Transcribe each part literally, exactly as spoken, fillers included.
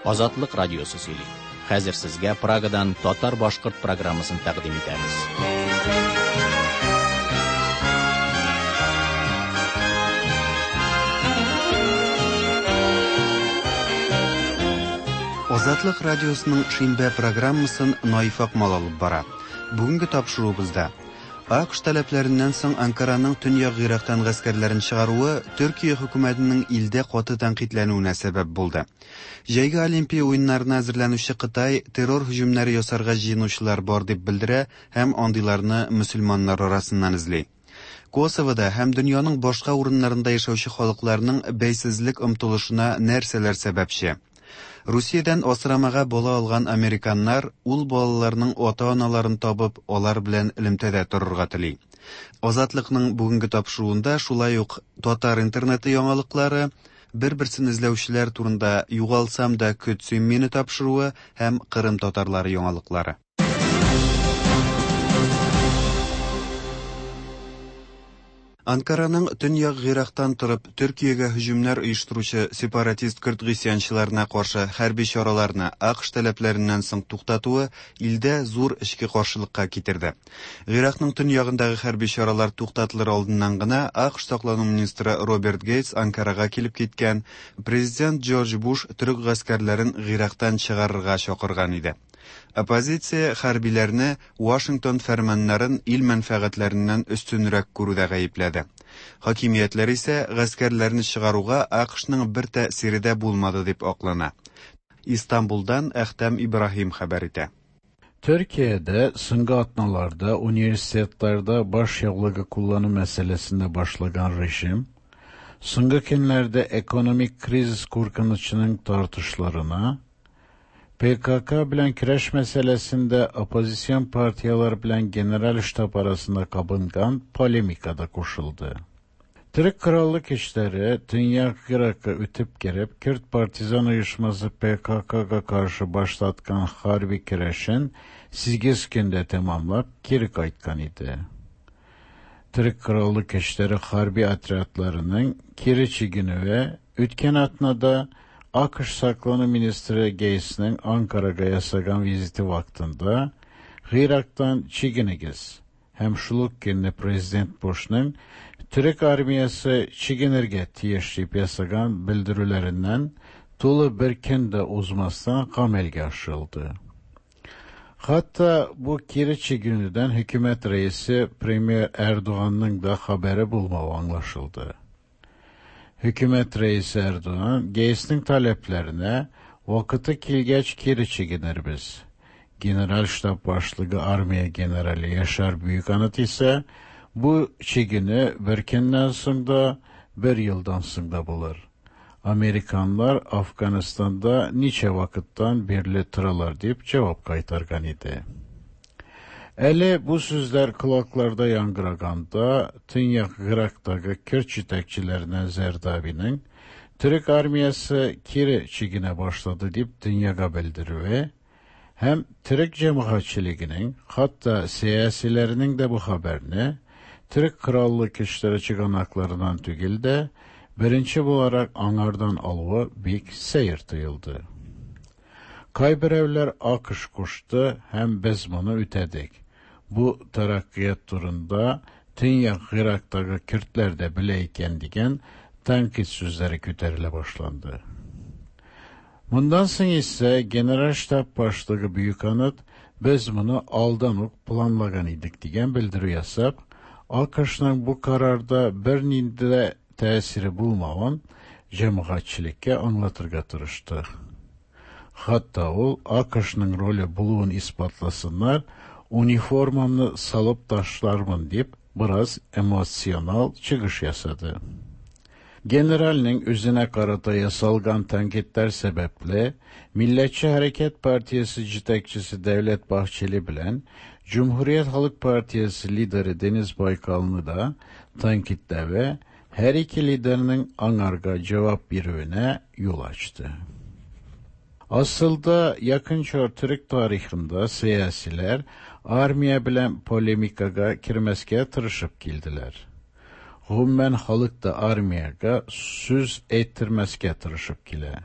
Азатлык радиосы сөйли. Хәзер сезгә Прагадан татар-башкорт программасын тәкъдим итәбез. Азатлык радиосының шимбә программасын Наиф Акмал алып бара. Бүгенге тапшыруыбызда А К Ш таләпләреннән соң Анкараның Төньяк Гыйрактан гаскәрләрен чыгаруы Төркия хөкүмәтенең илдә каты тәнкыйтьләнүенә сәбәп булды. Җәйге Олимпия уеннарына әзерләнүче Кытай террор һөҗүмнәре ясарга җыенучылар бар дип белдерә һәм андыйларны мөселманнар арасыннан эзли. Косовода һәм дөньяның башка урыннарында яшәүче халыкларның бәйсезлек омтылышына нәрсәләр сәбәпче? Русиядән асрамага бала алган американнар ул балаларның ата-аналарын табып, алар белән элемтәдә торырга тели. Азатлыкның бүгенге тапшыруында шулай ук татар интернеты яңалыклары, бер-берсен эзләүчеләр турында «Югалсам да көт син мине» тапшыруы һәм Кырым татарлары яңалыклары. Анкараның Төньяк Гыйрактан торып Төркиягә һөҗүмнәр оештыручы сепаратист көрд гыйсьянчыларына каршы хәрби чараларны А К Ш таләпләреннән соң туктатуы илдә зур эчке каршылыкка китерде. Гыйракның төньягындагы хәрби чаралар туктатылыр алдыннан гына А К Ш саклану министры Роберт Гейтс Анкарага килеп киткән, президент Джордж Буш төрек гаскәрләрен Гыйрактан чыгарырга чакырган иде. Оппозиция хәрбиләрне Вашингтон фәрманнарын ил мәнфәгатьләреннән өстенрәк күрүдә гаепләде. Хакимиятләр исә гаскәрләрне чыгаруга А К Шның бер тәэсире дә булмады дип аклана. Истанбулдан Әхтәм Ибраһим хәбәр итә. Türkiye'de соңгы атналарда университетларда баш яулыгы куллану мәсьәләсендә башлаган режим, соңгы көннәрдә экономик кризис куркынычының тартышларына, P K K белән көрәш мәсьәләсендә оппозицион партияләр белән генераль штаб арасында кабынган полемика да кушылды. Төрек Кораллы көчләре Төньяк Иракка үтеп кереп, Күрд партизан оешмасы P K Kга каршы башлаткан хәрби көрәшен сигез көндә тәмамлап кире кайткан иде. Төрек Кораллы көчләре хәрби отрядларының кире чигенүе үткән атнада А К Ш саклану министры Гейтсның Анкарага ясаган визиты вакытында «Гыйрактан чигенегез» һәм шул ук көнне президент Бушның «Төрек армиясе чигенергә тиеш» дип ясаган белдерүләреннән тулы бер көн дә узмастан гамәлгә ашырылды. Хәтта бу кире чигенүдән хөкүмәт рәисе премьер Эрдоганның да хәбәре булмавы аңлашылды. Хөкүмәт рәисе Эрдоган Гейтсның таләпләренә «Вакыты килгәч кире чигенербез». Генераль штаб башлыгы армия генералы Яшар Büyükanıt исә бу чигенү бер көннән соң да, бер елдан соң да булыр. Американнар Афганистанда ничә вакыттан бирле торалар дип җавап кайтарган иде. Әле бу сүзләр колакларда яңгыраганда, Төньяк Гыйрактагы көрд җитәкчеләреннән Зәрдабиның «Төрек армиясе кире чигенә башлады» дип дөньяга белдерүе һәм төрек җәмәгатьчелегенең, хәтта сәясиләренең дә бу хәбәрне Төрек Кораллы көчләре чыганакларыннан түгел дә, беренче буларак аңардан алуы бик сәер тоелды. Кайберәүләр А К Ш кушты һәм без моны үтәдек. Бу тәрәккыят турында Төньяк Гыйрактагы көрдләр дә белә икән дигән тәнкыйть сүзләре күтәрелә башланды. Моннан соң исә генераль штаб башлыгы Büyükanıt «Без моны алдан ук планлаган идек» дигән белдерү ясап, А К Шның бу карарда бернинди дә тәэсире булмавын җәмәгатьчелеккә аңлатырга тырышты. Хәтта ул А К Шның роле булуын исбатласыннар, униформамны салып ташлармын дип бераз эмоционал чыгыш ясады. Generalning үзенә карата ясалган тәнкыйтьләр сәбәпле Милләтче Хәрәкәт партиясе җитәкчесе Дәүләт Бахчели белән Cumhuriyet Halk Partisi lideri Deniz Baykalны да тәнкыйтьләве һәр ике лидерның аңарга җавап бирүенә юл ачты. Асылда якын чор төрек тарихында сәясиләр армия белән полемикага кермәскә тырышып килделәр. Гомумән халык та армиягә сүз әйттермәскә тырышып килә.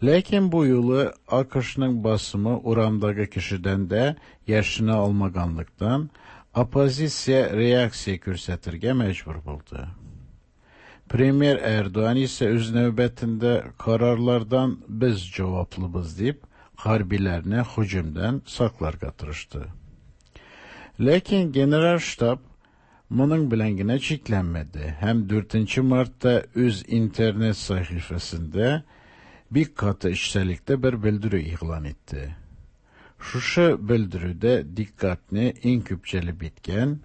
Ләкин бу юлы АКШның басымы урамдагы кешедән дә яшенә алмаганлыктан, оппозиция реакция күрсәтергә мәҗбүр булды. Premier Erdoğan ise öz növbətində kararlardan biz cevaplımız deyip harbilerini hücumdan saklarga tırıştı. Lakin General Ştab bunun bilan gina cheklanmadi. Hem dördüncü Martda öz internet sahifasında bir katı işçilikte bir bildiri ilan etti. Şuşa bildiride dikkatni en köp bitken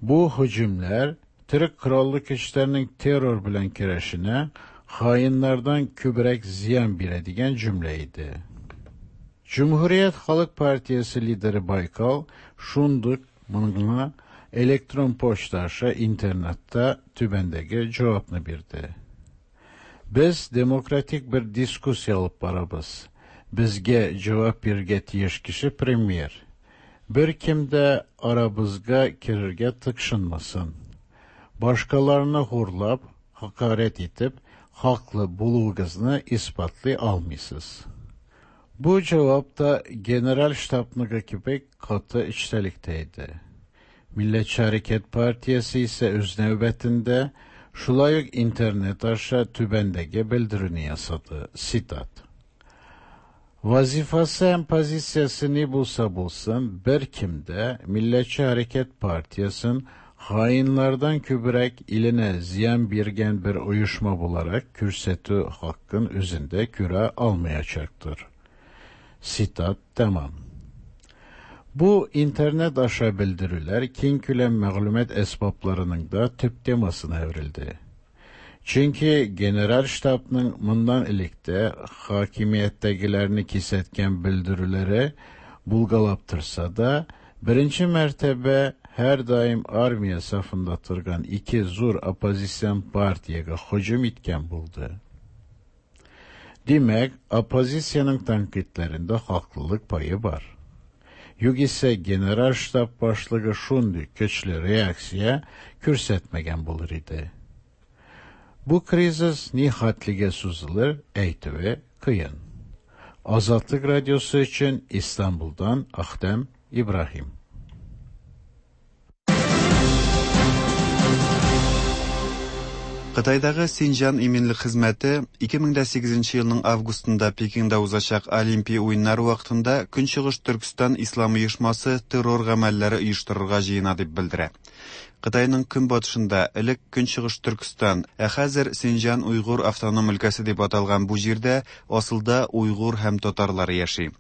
bu hücumlar Türk Qurolli Kuchlarining terror bilan kurashini xoinlardan ko'proq ziyon beradigan jumla edi. Cumhuriyet Halk Partiyasi lideri Baykal shunduq bunga elektron pochta asha internetda tubandagi javobni berdi. Biz demokratik bir diskussiya olib boramiz. Bizga javob berga tegish kishi premyer. Bir kimda aramizga kirirga tiqshinmasin. Başkalarını hurlab, hakaret etip, haklı buluğunuzu ispatlay almıysız. Bu cevap da General Ştabnıga gibi katı içtelikteydi. Milliyetçi Hareket Partiyasi ise öz növbətində şulay uq internet aşa tübəndəgi bildirini yasadı. Sitat. Vazifası hem pozitsiyası ne bulsa bulsun, bir kimde Milliyetçi Hareket Partiyasının hainlardan köbürək ilinə ziyan bergan bir uyuşma bularak kürsəti hakkın üzündə küre almayacaktır. Sitat tamam. Bu internet aşa bildirülər keng küləm məlumat əsbablarının da tüp temasına evrildi. Çünki General Ştabның bundan ilikdə hakimiyyətdəgilərini kesətən bildirüləri bulgalap tursa da, birinci mərtəbə her daim armiya safında turgan iki zo'r oppozitsion partiyaga hujum etgan bo'ldi. Demak, oppozitsiyaning tanqidlarida haqlilik payı bor. Yo'q esa General Shtab boshlig'i shunday kuchli reaksiya ko'rsatmagan bo'lar edi. Bu krizis nihatliga so'zilir aytuvi qiyin. Azadlık Radyosu için İstanbul'dan Ahdem İbrahim. Қытайдағы Синжан иминлек хезмәте ике мең дә сигезенче елның августында Пекинда узачак Олимпия уеннары вакытында Көнчыгыш Төркстан Ислам оешмасы террор гамәлләре оештырырга җыена дип белдерә. Кытайның көнбатышында элек Көнчыгыш Төркстан, ә хәзер Синжан Уйгур автоном өлкәсе дип аталган бу җирдә асылда уйгур һәм татарлар яши.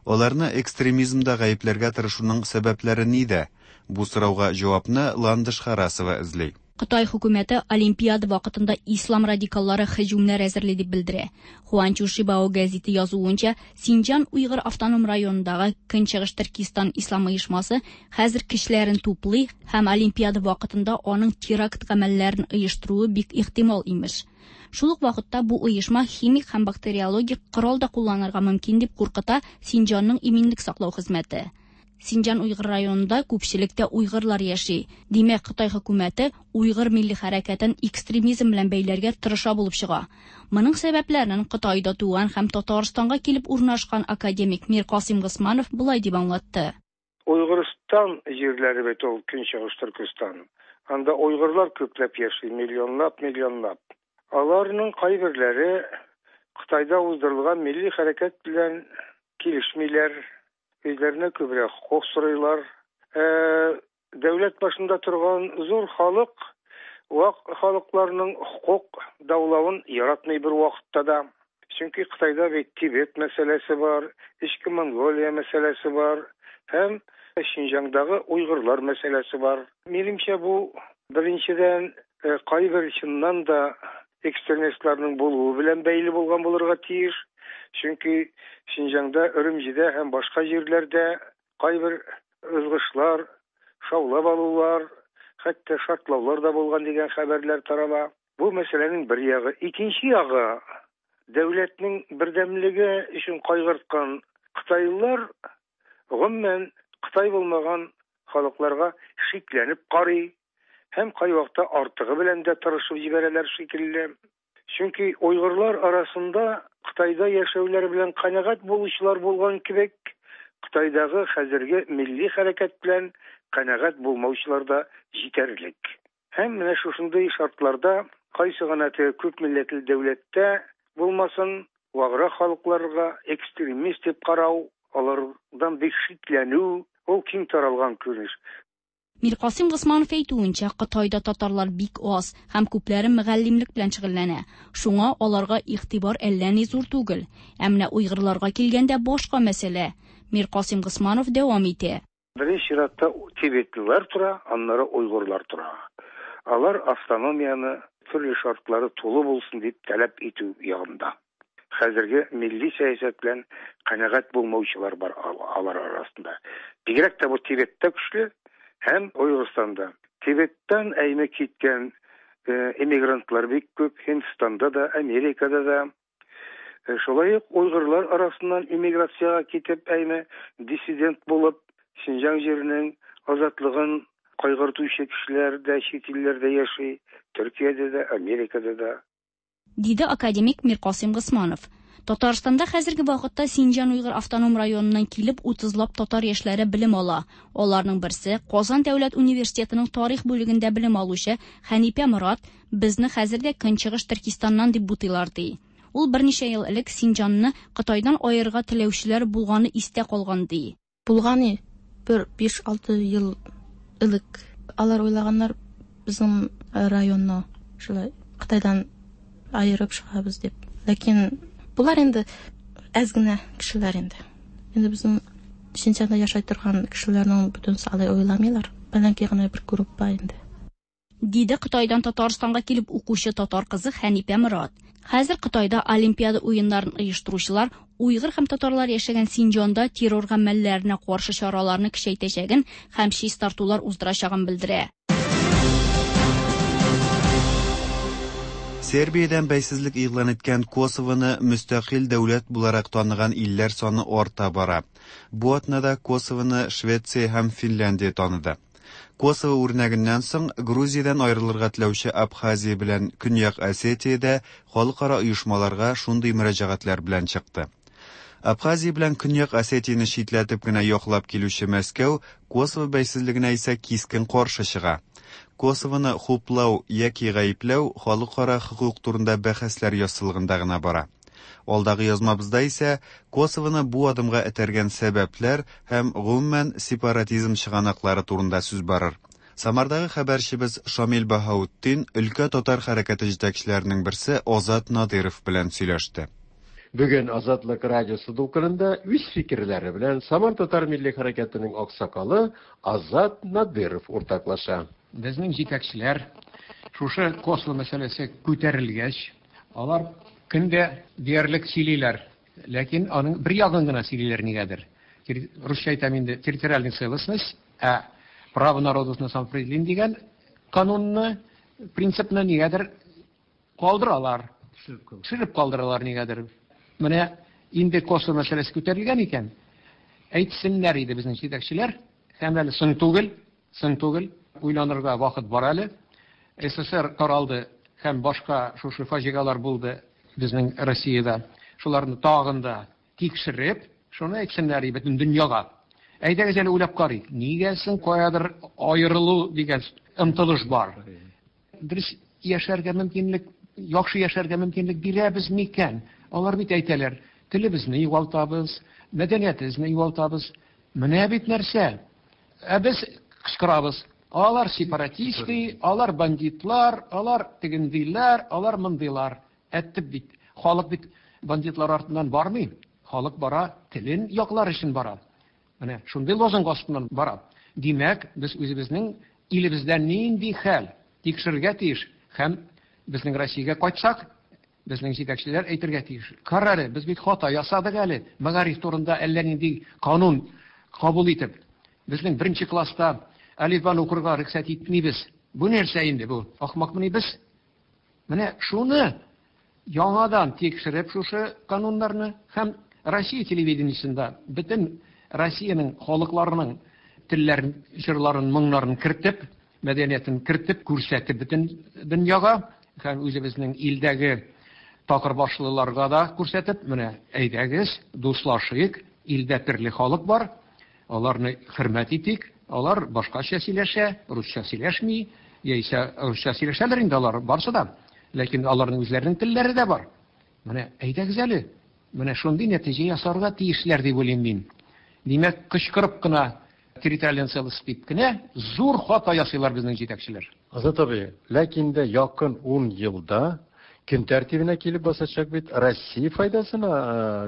Аларны экстремизмда гаепләргә тырышуның сәбәпләре нидә? Бу сорауга җавапны Ландыш Харасова эзли. Қытай хөкүмәте Олимпиада вакытында ислам радикаллары һөҗүмнәр әзерли дип белдерә. Хуанчу Шибао гәзите язуынча, Синҗан Уйгыр автоном районындагы Көнчыгыш Төркистан ислам оешмасы хәзер кешеләрен туплый һәм Олимпиада вакытында аның теракт гамәлләрен оештыруы бик ихтимал имеш. Шул ук вакытта бу оешма химик һәм бактериологик корал да кулланырга мөмкин дип куркыта Синҗанның иминлек саклау хезмәте. Синҗан Уйгыр районында күпчелектә уйгырлар яши. Димәк, Кытай хөкүмәте уйгыр милли хәрәкәтен экстремизм белән бәйләргә тырыша булып чыга. Моның сәбәпләрен Кытайда туган һәм Татарстанга килеп урнашкан академик Миркасыйм Госманов болай дип аңлатты. Уйгырстан җирләре бит ул Көнчыгыш Төркестан. Анда уйгырлар күпләп яши, миллионлап, миллионлап. Аларның кайберләре Кытайда уздырылган милли хәрәкәт белән килешмиләр. Үзләренә күбрәк хокук сорыйлар. Ә, дәүләт башында торган зур халык вак халыкларның хокук даулавын яратмый бер вакытта да. Чөнки Кытайда бит Тибет мәсьәләсе бар, Эчке Монголия мәсьәләсе бар һәм Шинҗаңдагы уйгырлар мәсьәләсе бар. Минемчә, бу беренчедән кайбер чыннан да экстремистларның булуы белән бәйле булган булырга тиеш. Чөнки Шинҗаңда, Өрүмҗидә һәм башка җирләрдә кайбер ызгышлар, шаулап алулар, хәтта шартлаулар да булган дигән хәбәрләр тарала. Бу мәсьәләнең бер ягы. Икенче ягы, дәүләтнең бердәмлеге өчен кайгырткан кытайлылар гомумән Кытай булмаган халыкларга шикләнеп карый һәм кайвакытта артыгы белән дә тырышып җибәрәләр шикелле. Чөнки уйгырлар арасында Кытайда яшәүләр белән канәгать булучылар булган кебек, Кытайдагы хәзерге милли хәрәкәт белән канәгать булмаучылар да җитәрлек. Һәм менә шушындый шартларда кайсы гына теге күп милләтле дәүләттә булмасын, ваграк халыкларга экстремист дип карау, алардан бик шикләнү, ул киң таралган күренеш. Миркасыйм Госманов әйтүенчә, Кытайда татарлар бик аз һәм күпләре мөгаллимлек белән шөгыльләнә. Шуңа аларга игътибар әллә ни зур түгел. Ә менә уйгырларга килгәндә башка мәсьәлә. Миркасыйм Госманов дәвам итә. Беренче чиратта тибетлылар тора, аннары уйгырлар тора. Алар автономияне төрле шартлары тулы булсын дип таләп итү ягында. Хәзерге милли сәясәт белән канәгать булмаучылар бар алар арасында. Бигрәк тә бу Тибеттә көчле һәм Уйгырстанда. Тибеттән әйме киткән эмигрантлар бик күп, Һиндстанда да, Америкада да. Шулай ук уйгырлар арасыннан эмиграциягә китеп әйме диссидент булып Синҗаң җиренең азатлыгын кайгыртучы кешеләр дә чит илләрдә яши, Төркиядә дә, Америкада да. Диде академик Миркасыйм Госманов. Татарстанда хәзерге вакытта Синҗан Уйгыр автоном районыннан килеп утызлап татар яшьләре белем ала. Аларның берсе Казан дәүләт университетының тарих бүлегендә белем алучы Хәнипә Морат, безне хәзер дә Көнчыгыш Төркистаннан дип бутыйлар ди. Ул берничә ел элек Синҗанны Кытайдан аерырга теләүчеләр булганы истә калган ди. Булганы бер биш-алты ел элек алар уйлаганнар безнең районны шулай Кытайдан айырып чыгабыз дип. Ләкин булар инде әз генә кешеләр инде. Инде безнең Синҗанда яшәй торган кешеләрнең бөтенесе алай уйламыйлар. Бәлки генә бер группа инде. Диде Кытайдан Татарстанга килеп укучы татар кызы Хәнипә Морат. Хәзер Кытайда Олимпиада уеннарын оештыручылар уйгыр һәм татарлар яшәгән Синҗанда террор гамәлләренә каршы чараларны көчәйтәчәген һәм чистартулар уздырачагын белдерә. Сербиядән бәйсезлек игълан иткән Косовоны мөстәкыйль дәүләт буларак таныган илләр саны арта бара. Бу атнада Косовоны Швеция һәм Финляндия таныды. Косово үрнәгеннән соң Грузиядән аерылырга теләүче Абхазия белән Көньяк Осетиядә халыкара оешмаларга шундый мөрәҗәгатьләр белән чыкты. Абхазия белән Көньяк Осетияне читләтеп кенә яклап килүче Мәскәү Косово бәйсезлегенә исә кискен каршы чыга. Косовоны хуплау яки гаепләү халыкара хокук турында бәхәсләр яссылыгында гына бара. Алдагы язмабызда исә Косовоны бу адымга этәргән сәбәпләр һәм гомумән сепаратизм чыганаклары турында сүз барыр. Самардагы хәбәрчебез Шамил Баһаутдин өлкә татар хәрәкәте җитәкчеләренең берсе Азат Надиров белән сөйләште. Бүген Азатлык радиосы дулкынында үз фикерләре белән Самар татар милли хәрәкәтенең аксакалы Азат Надиров уртаклаша. Безнең җитәкчеләр шушы Косово мәсьәләсе күтәрелгәч, алар көндә диярлек сөйлиләр, ләкин аның бер ягын гына сөйлиләр нигәдер. Русча әйтәм инде, территориальная целостность, ә право народов на самоопределение дигән канунны, принципны нигәдер калдыралар. Төшереп калдыралар нигәдер. Менә инде Косово мәсьәләсе күтәрелгән икән, әйтсеннәр иде безнең җитәкчеләр, һәм әле соң түгел, соң түгел, уйланырга вакыт бар әле. СССР таралды һәм башка шушы фаҗигалар булды безнең Россиядә. Шуларны тагын да тикшереп, шуны әйтсеннәр бөтен дөньяга. Әйдәгез әле уйлап карыйк. Нигә соң каядыр аерылу дигән омтылыш бар? Дөрес яшәргә мөмкинлек, яхшы яшәргә мөмкинлек бирәбез микән? Алар бит әйтәләр, телебезне югалтабыз, мәдәниятебезне югалтабыз. Менә бит нәрсә. Ә без кычкырабыз. Алар сепаратисты, алар бандитлар, алар тегендиләр, алар мондыйлар. Әттеп бит, халык бит бандитлар артыннан бармый. Халык бара, телен яклар өчен бара. Менә шундый лозунг астыннан бара. Димәк, без үзебезнең илебездә нинди хәл тикшерергә тиеш һәм безнең Россиягә кайтсак, безнең җитәкчеләр әйтергә тиеш. Кара әле, без бит хата ясадык әле, мәгариф турында әллә нинди канун кабул итеп. Безнең беренче класста әлифбаны укырга рөхсәт итмибез. Бу нәрсә инде бу? Ахмакмыни без? Менә шуны яңадан тикшереп шушы кануннарны һәм Россия телевидениесендә бөтен Россиянең халыкларының телләрен, җырларын, моңнарын кертеп, мәдәниятен кертеп, күрсәтеп бөтен дөньяга һәм үзебезнең илдәге Такырбашлыларга да күрсәтеп, менә әйдәгез, дуслашыйк, илдә төрле халык бар, аларны хөрмәт итик, алар башкача сөйләшә, русча сөйләшми, яисә русча сөйләшәләр инде алар барсы да, ләкин аларның үзләренең телләре дә бар. Менә әйдәгез әле, менә шундый нәтиҗә ясарга тиешләр дип уйлыйм мин. Димәк, кычкырып кына территориаль целостность дип кенә зур хата ясыйлар безнең җитәкчеләр. Азат абый, ләкин дә якын ун елда көн тәртибенә килеп басачак бит Россия файдасына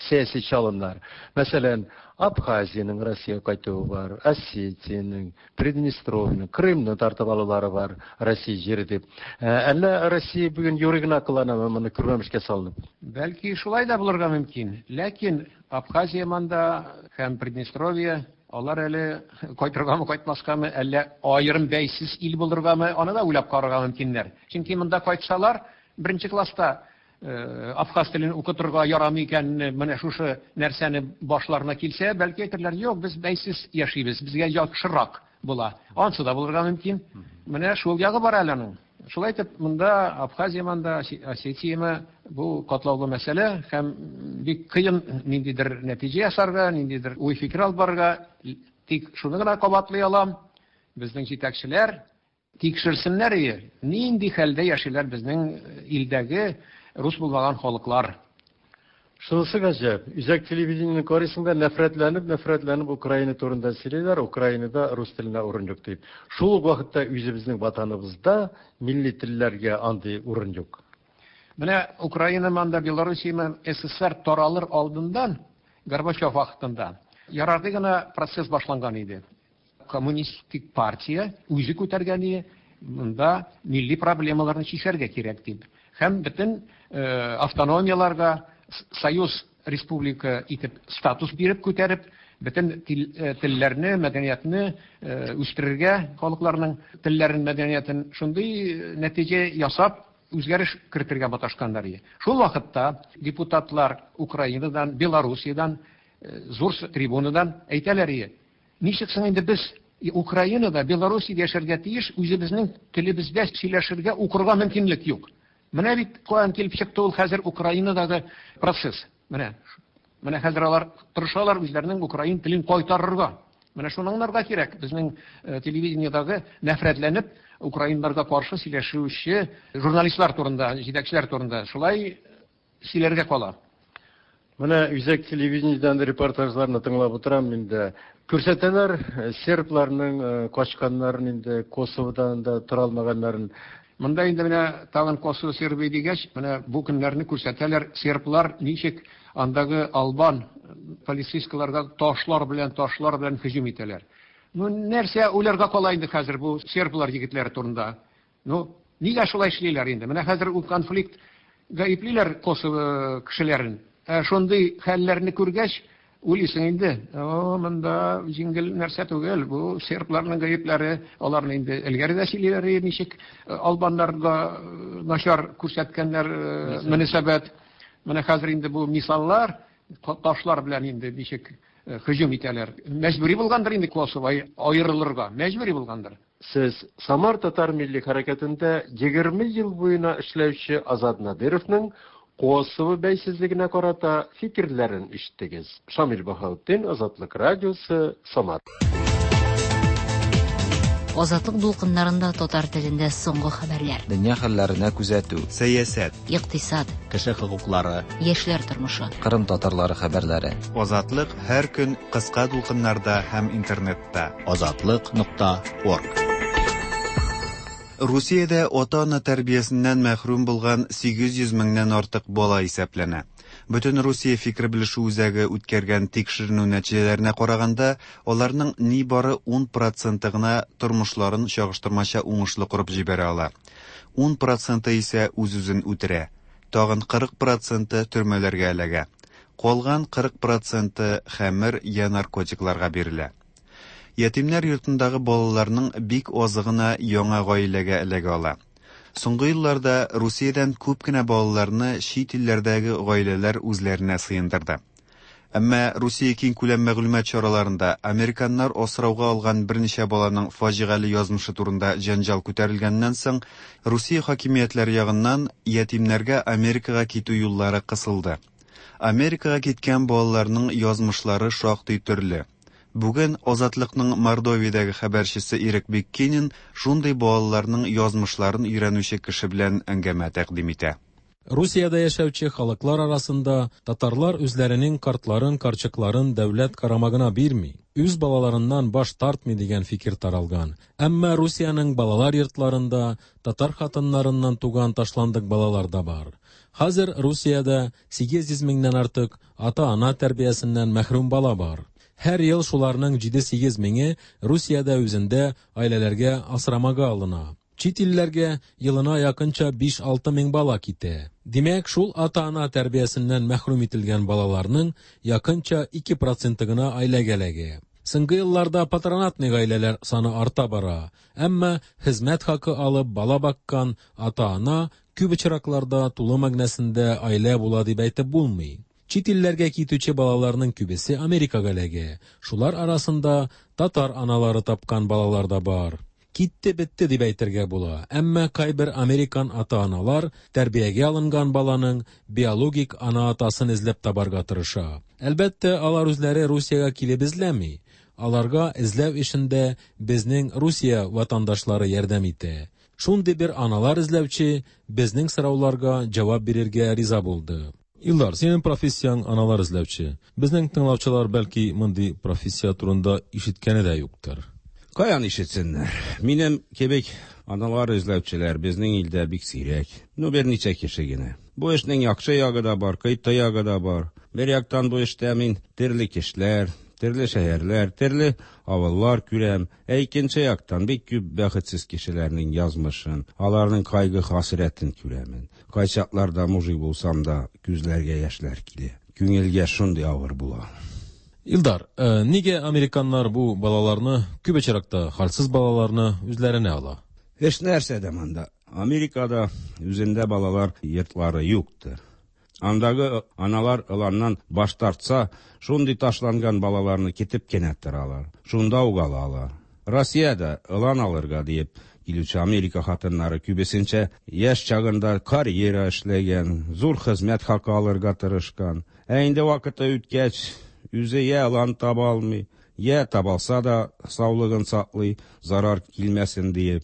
сәяси чалымнар. Мәсәлән, Абхазиянең Россиягә кайтуы бар, Осетиянең, Приднестровьеның, Крымны тартып алулары бар Россия җире дип. Әллә Россия бүген юри гына кыланамы моны күрмәмешкә салынып? Бәлки шулай да булырга мөмкин. Ләкин Абхазия монда һәм Приднестровье алар әле кайтыргамы, кайтмаскамы, әллә аерым бәйсез ил булыргамы, аны да уйлап карарга мөмкиннәр. Чөнки монда кайтсалар, беренче класста абхаз телен укытырга ярамый икәнне, менә шушы нәрсәне башларына килсә, бәлки әйтерләр, юк, без бәйсез яшибез, безгә яхшырак була. Ансы да булырга мөмкин. Менә шул ягы бар әле аның. Шулай итеп, монда Абхазия монда, Осетияме бу катлаулы мәсьәлә һәм бик кыен ниндидер нәтиҗә ясарга, ниндидер уй-фикер алып барырга. Тик шуны гына кабатлый алам, безнең җитәкчеләр тикшерсеннәр ие, нинди хәлдә яшиләр безнең илдәге рус булмаган халыклар. Шунысы гаҗәп, үзәк телевидениенең карыйсың да нәфрәтләнеп, нәфрәтләнеп Украина турында сөйлиләр, Украинада рус теленә урын юк дип. Шул ук вакытта үзебезнең ватаныбызда милли телләргә андый урын юк. Менә Украина монда, Белоруссия, СССР таралыр алдыннан, Горбачев вакытында ярарды гына процесс башланган иде. Коммунистик партия үзе күтәргән иде, монда милли проблемаларны чишәргә кирәк дип. Һәм бөтен автономияларга союз республика итеп статус биреп күтәреп, бөтен телләрне, мәдәниятне үстерергә, халыкларның телләрен, мәдәниятен шундый нәтиҗә ясап, үзгәреш кертергә маташканнар иде. Шул вакытта депутатлар Украинадан, Белоруссиядан, зур трибунадан әйтәләр иде. Ничек соң инде без Украинада, Белоруссиядә яшәргә тиеш, үзебезнең телебездә сөйләшергә, укырга мөмкинлек юк. Менә бит каян килеп чыкты ул хәзер Украинадагы процесс. Менә, менә хәзер алар тырышалар үзләренең украин телен кайтарырга. Менә шуны аңларга кирәк. Безнең телевидениедагы нәфрәтләнеп украиннарга каршы сөйләшүче журналистлар турында, җитәкчеләр турында шулай сөйләргә кала. Менә үзәк телевидениедән репортажларны тыңлап утырам инде. Күрсәтәләр сербларның качканнарын инде, Косоводан да тора алмаганнарын. Монда инде менә тагын Косово Сербия дигәч, менә бу көннәрне күрсәтәләр, серблар ничек андагы албан полицейскийларга ташлар белән, ташлар белән һөҗүм итәләр. Ну, нәрсә уйларга кала инде хәзер бу серблар егетләре турында? Ну, нигә шулай эшлиләр инде? Менә хәзер ул конфликт гаеплиләр Косово кешеләрен. Ә шундый хәлләрне күргәч, уйлыйсың инде, о, монда җиңел нәрсә түгел, бу сербларның гаепләре, аларны инде элгәре дә сөйлиләр, ничек албаннарга начар күрсәткәннәр мөнәсәбәт. Менә хәзер инде бу мисаллар, ташлар белән инде ничек һөҗүм итәләр. Мәҗбүри булгандыр инде Косово аерылырга, мәҗбүри булгандыр. Сез Самар татар милли хәрәкәтендә егерме ел буена эшләүче Азат Надировның Косово бәйсезлегенә карата фикерләрен ишеттегез. Шамил Баһаутдин, Азатлык радиосы, Самар. Азатлык дулкыннарында татар телендә соңгы хәбәрләр. Дөнья хәлләренә күзәтү. Сәясәт. Икътисад. Кеше хокуклары. Яшьләр тормышы. Кырым татарлары хәбәрләре. Азатлык һәр көн кыска дулкыннарда һәм интернетта. Азатлык нокта орг. Русиядә ата-ана тәрбиясеннән мәхрүм булган сигез йөз меңнән артык бала исәпләнә. Бөтен Русия фикер белешү үзәге үткәргән тикшеренү нәтиҗәләренә караганда, аларның нибары ун проценты гына тормышларын чагыштырмача уңышлы корып җибәрә ала. ун проценты исә үз-үзен үтерә. Тагын кырык проценты төрмәләргә эләгә. Калган кырык проценты хәмер я наркотикларга бирелә. Ятимнәр йортындагы балаларның бик азы гына яңа гаиләгә эләгә ала. Соңгы елларда Русиядән күп кенә балаларны чит илләрдәге гаиләләр үзләренә сыендырды. Әмма Русия киңкүләм мәгълүмат чараларында американнар асрауга алган берничә баланың фаҗигале язмышы турында җәнҗал күтәрелгәннән соң, Русия хакимиятләре ягыннан ятимнәргә Америкага китү юллары кысылды. Америкага киткән балаларның язмышлары шактый төрле. Бүген Азатлыкның Мордовиядәге хәбәрчесе Ирек Биккинин шундый балаларның язмышларын өйрәнүче кеше белән әңгәмә тәкъдим итә. Русиядә яшәүче халыклар арасында татарлар үзләренең картларын, карчыкларын дәүләт карамагына бирми, үз балаларыннан баш тартмый дигән фикер таралган. Әмма Русиянең балалар йортларында татар хатыннарыннан туган ташландык балалар да бар. Хәзер Русиядә сигез йөз меңнән артык ата-ана тәрбиясеннән мәхрүм бала бар. Һәр ел шуларның җиде-сигез меңе Русиядә үзендә гаиләләргә асрамага алына. Чит илләргә елына якынча биш-алты мең бала китә. Димәк, шул ата-ана тәрбиясеннән мәхрүм ителгән балаларның якынча ике проценты гына гаиләгә эләгә. Соңгы елларда патронатный гаиләләр саны арта бара. Әмма хезмәт хакы алып бала баккан ата-ана күп очракларда тулы мәгънәсендә гаилә була дип әйтеп булмый. Чит илләргә китүче балаларның күбесе Америкага эләгә. Шулар арасында татар аналары тапкан балалар да бар. Китте бетте дип әйтергә була. Әмма кайбер американ ата-аналар тәрбиягә алынган баланың биологик ана-атасын эзләп табарга тырыша. Әлбәттә, алар үзләре Русиягә килеп эзләми. Аларга эзләү эшендә безнең Русия ватандашлары ярдәм итә. Шундый бер аналар эзләүче безнең сорауларга җавап бирергә риза булды. Илдар, синең профессияң аналар эзләүче. Безнең тыңлаучылар бәлки мондый профессия турында ишеткәне дә юктыр. Каян ишетсеннәр? Минем кебек аналар эзләүчеләр безнең илдә бик сирәк. Ну, берничә кеше генә. Бу эшнең яхшы ягы да бар, кыйты ягы да бар. Бер яктан бу эштә мин төрле кешеләр, төрле шәһәрләр, төрле авыллар күрәм. Ә икенче яктан бик күп бәхетсез кешеләрнең язмышын, аларның кайгы-хәсрәтен күрәмен. Кайчакларда мужик булсам да, күзләргә яшьләр килә. Күңелгә шундый авыр була. Илдар, э, нигә американнар бу балаларны, күп очракта хәлсез балаларны үзләренә ала? Эш нәрсәдә монда? Америкада үзендә балалар йортлары юктыр. Андагы аналар ыланнан баш тартса, шундый ташланган балаларны китеп кенә торалар. Шунда ук алалар. Россиядә ылан алырга диеп килүче Америка хатыннары күбесенчә яшь чагында карьера эшләгән, зур хезмәт хакы алырга тырышкан. Ә инде вакыты үткәч, үзе я ылан таба алмый, я табалса да саулыгын саклый, зарар килмәсен диеп.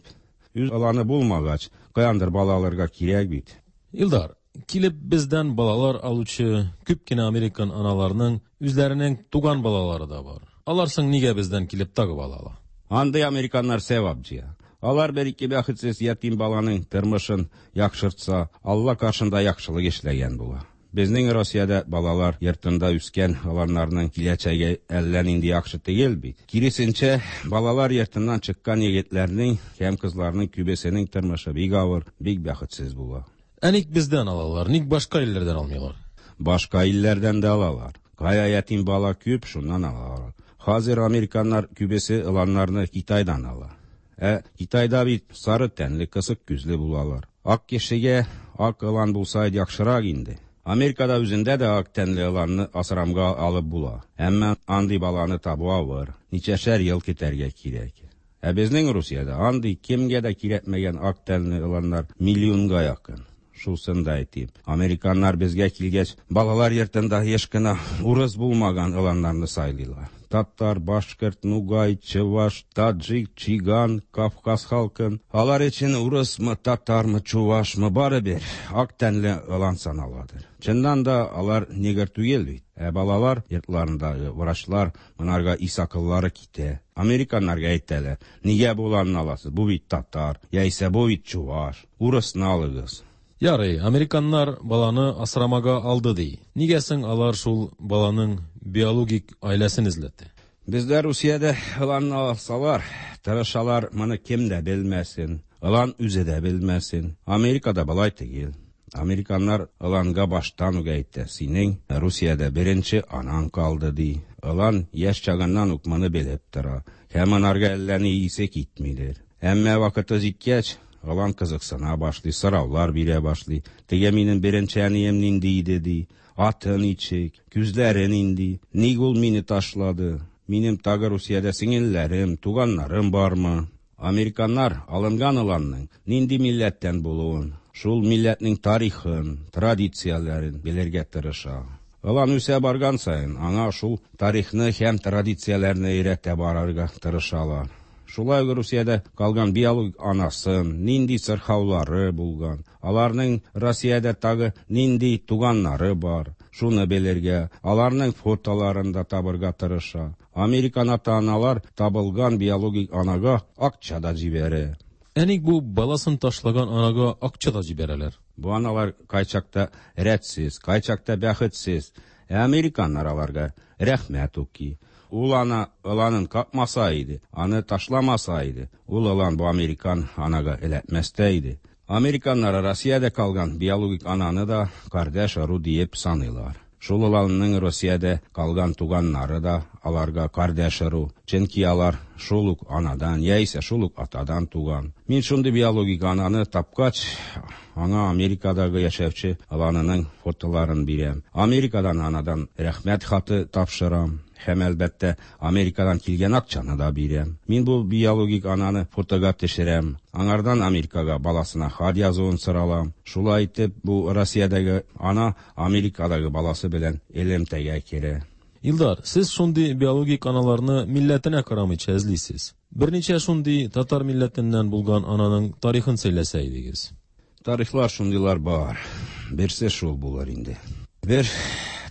Үз ыланы булмагач, каяндыр бала алырга кирәк бит. Илдар, килеп бездән балалар алучы күп кенә американ аналарының үзләренең туган балалары да бар. Алар соң нигә бездән килеп тагы бала ала? Андый американнар сәвап җыя. Алар бер ике бәхетсез ятим баланың тормышын яхшыртса, Алла каршында яхшылык эшләгән була. Безнең Россиядә балалар йортында үскән аларның киләчәге әллә нинди яхшы түгел бит. Киресенчә, балалар йортыннан чыккан егетләрнең һәм кызларның күбесенең тормышы бик авыр, бик бәхетсез була. Ә ник бездән алалар, ник башка илләрдән алмыйлар? Башка илләрдән дә алалар. Кая ятим бала күп, шуннан алалар. Хәзер американнар күбесе ыланнарны Китайдан ала. Ә Китайда бит сары тәнле, кысык күзле булалар. Ак кешегә ак ылан булса яхшырак инде. Америкада үзендә дә ак тәнле ыланны асрамга алып була. Әмма андый баланы табу авыр, ничәшәр ел көтәргә кирәк. Ә безнең Русиядә андый кемгә дә кирәкмәгән ак тәнле ыланнар миллионга якын. Шусын да әйтим. Американнар безгә килгәч, балалар йортында еш кына урыс булмаган ыланнарны сайлыйлар. Татар, башкорт, нугай, чуваш, таджик, чиган, Кавказ халкын. Алар өчен урысмы, татармы, чувашмы барыбер ак тәнле ылан саналадыр. Чыннан да алар негр түгел бит. Ә балалар йортларындагы врачлар монарга ис акыллары китә. Американнарга әйтәләр: "Нигә бу ыланны аласыз? Бу бит татар, яисә бу бит чуваш. Урысны алыгыз." Ярый, американнар баланы асрамага алды ди. Нигә соң алар шул баланың биологик гаиләсен эзләтте? Бездә Русиядә ыланны алсалар, тырышалар, моны кем дә белмәсен, ылан үзе дә белмәсен. Америкада болай түгел. Американнар ыланга баштан ук әйтә: "Синең Русиядә беренче анаң калды", ди. Ылан яшь чагыннан ук моны белеп тора. Һәм анарга әллә ни исе китмидер. Әмма вакыты җиткәч, Ылан кызыксына башлый, сораулар бирә башлый. Теге минем беренче әнием нинди иде ди, аты ничек, күзләре нинди, ник ул мине ташлады, минем тагы Русиядә сеңелләрем, туганнарым бармы? Американнар алынган ыланның нинди милләттән булуын, шул милләтнең тарихын, традицияләрен белергә тырыша. Ылан үсә барган саен аңа шул тарихны һәм традицияләрне өйрәтә барырга тырышалар. Шулай ук Русиядә калган биологик анасын, нинди сырхаулары булган, аларның Россиядә тагы нинди туганнары бар, шуны белергә, аларның фотоларын да табырга тырыша. Американ ата-аналар табылган биологик анага акча да җибәрә. Ә ник бу баласын ташлаган анага акча да җибәрәләр? Бу аналар кайчакта рәтсез, кайчакта бәхетсез. Ә американнар аларга рәхмәт укый. Ул ана ыланын какмаса иде, аны ташламаса иде, ул ылан бу американ анага эләкмәс тә иде. Американнар Россиядә калган биологик ананы да кардәш ыру диеп саныйлар. Шул ыланның Россиядә калган туганнары да аларга кардәш ыру, чөнки алар шул ук анадан яисә шул ук атадан туган. Мин шундый биологик ананы тапкач, аңа Америкадагы яшәүче ыланының фотоларын бирәм. Америкадан анадан рәхмәт хаты тапшырам. Һәм әлбәттә Америкадан килгән акчаны да бирәм. Мин бу биологик ананы фотога төшерәм. Аңардан Америкага баласына хат язуын соралам. Шулай итеп бу Россиядәге ана Америкадагы баласы белән элемтәгә керә. Илдар, сез шундый биологик аналарны милләтенә карамыйча эзлисез. Берничә шундый татар милләтеннән булган ананың тарихын сөйләсә идегез. Тарихлар шундыйлар бар. Берсе шул булыр инде. Бер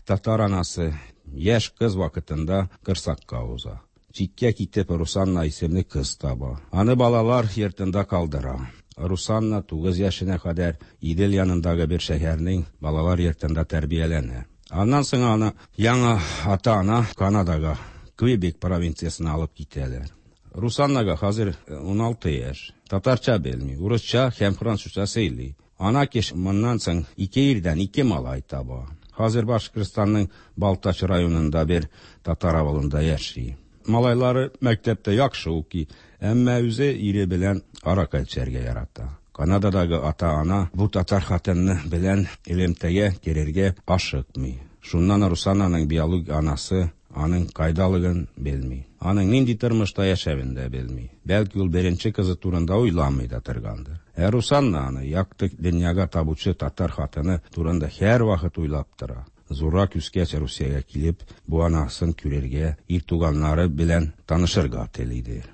татар анасы яшь кыз вакытында кырсакка уза. Читкә китеп Русанна исемле кыз таба. Аны балалар йортында калдыра. Русанна тугыз яшенә кадәр Идел янындагы бер шәһәрнең балалар йортында тәрбияләнә. Аннан соң аны яңа ата-ана Канадага, Квебек провинциясенә алып китәләр. Русаннага хәзер уналты яшь. Татарча белми, урысча һәм французча сөйли. Ана кеше моннан соң ике ирдән ике малай таба. Хәзер Башкортстанның Балтач районында бер татар авылында яши. Малайлары мәктәптә яхшы укый, әмма үзе ире белән аракы эчәргә ярата. Канададагы ата-ана бу татар хатыны белән элемтәгә керергә ашыкмый. Шуннан Русананың биологик анасы аның кайдалыгын белми. Аның нинди тормышта яшәвен дә белми. Бәлки ул беренче кызы турында уйламый да торгандыр. Ә Русанна аны якты дөньяга табучы татар хатыны турында һәрвакыт уйлап тора. Зуррак үскәч Русиягә килеп, бу анасын күрергә, ир туганнары белән танышырга телидер.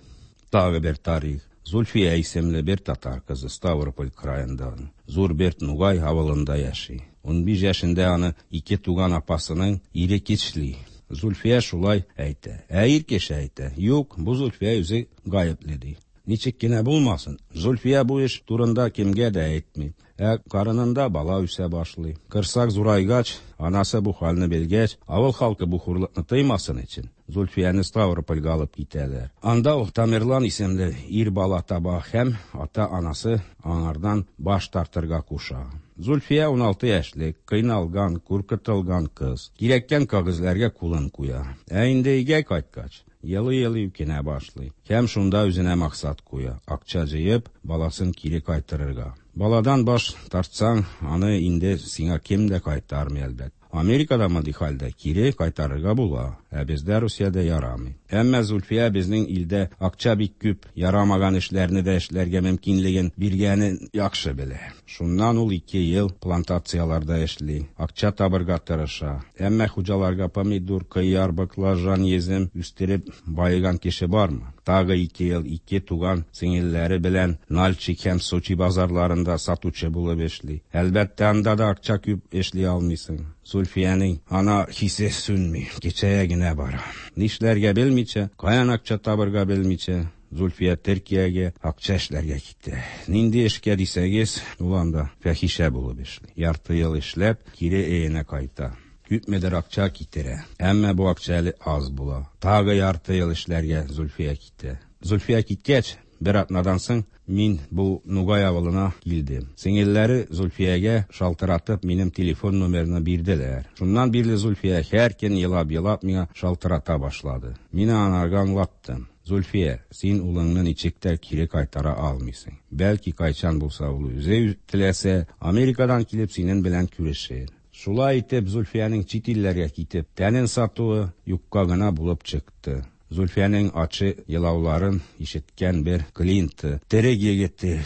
Тагы бер тарих. Зульфия исемле бер татар кызы Ставрополь краенда, Зур Берт Нугай авылында яши. Унбиш яшендә аны ике туган апасының ире кичли. Зульфия шулай әйтә. Ә ир кеше әйтә: "Юк, бу Зульфия үзе гаепле" ди. Ничек кенә булмасын, Зульфия бу эш турында кемгә дә әйтми. Ә карынында бала үсә башлый. Кырсак зурайгач, анасы бу хәлне белгәч, авыл халкы бу хурлыкны тыймасын өчен Зульфияне Ставропольгә алып китәләр. Анда ул Тамерлан исемле ир бала таба һәм ата-анасы аңардан баш тартырга куша. Зульфия уналты яшьлек, кыйналган, куркытылган кыз. Кирәккән кәгазьләргә кулын куя. Ә инде өйгә кайткач, елый-елый үкенә башлый. Һәм шунда үзенә максат куя: акча җыеп, баласын кире кайтарырга. Баладан баш тартсаң, аны инде сиңа кем дә кайтармый әлбәттә. Америкада мондый хәлдә кире кайтарырга була, ә бездә Русиядә ярамый. Әмма Зульфия безнең илдә акча бик күп, ярамаган эшләрне дә эшләргә мөмкинлеген биргәнен яхшы белә. Шуннан ул ике ел плантацияларда эшли, акча табырга тырыша. Әмма хуҗаларга помидор, кыяр, баклажан, езем үстереп баеган кеше бармы? Тагы ике ел ике туган сеңелләре белән Нальчик һәм Сочи базарларында сатучы булып эшли. Әлбәттә, анда да акча күп эшли алмыйсың. Зульфиянең ана хисе сүнми, кичәгә генә бара. Нишләргә белмичә, каян акча табырга белмичә, Зульфия Төркиягә акча эшләргә китә. Нинди эшкә дисәгез, ул анда фәхишә булып эшли. Ярты ел эшләп, кире өенә кайта. Күпмедер акча китерә. Әмма бу акча әле аз була. Тагы ярты ел эшләргә Зульфия китә. Зульфия киткәч, бер атнадан соң мин бу Нугай авылына килдем. Сеңелләре Зульфиягә шалтыратып минем телефон номерын бирделәр. Шуннан бирле Зульфия һәр көн елап-елап миңа шалтырата башлады. Мин анарга аңлаттым. Зульфия, син улыңны ничек тә кире кайтара алмыйсың. Бәлки кайчан булса ул үзе теләсә, Америкадан килеп синең белән күрешер. Шулай итеп Зульфиянең чит илләргә китеп тәнен сатуы юкка гына булып чыкты. Зульфиянең ачы елауларын ишеткән бер клиенты, терек егете,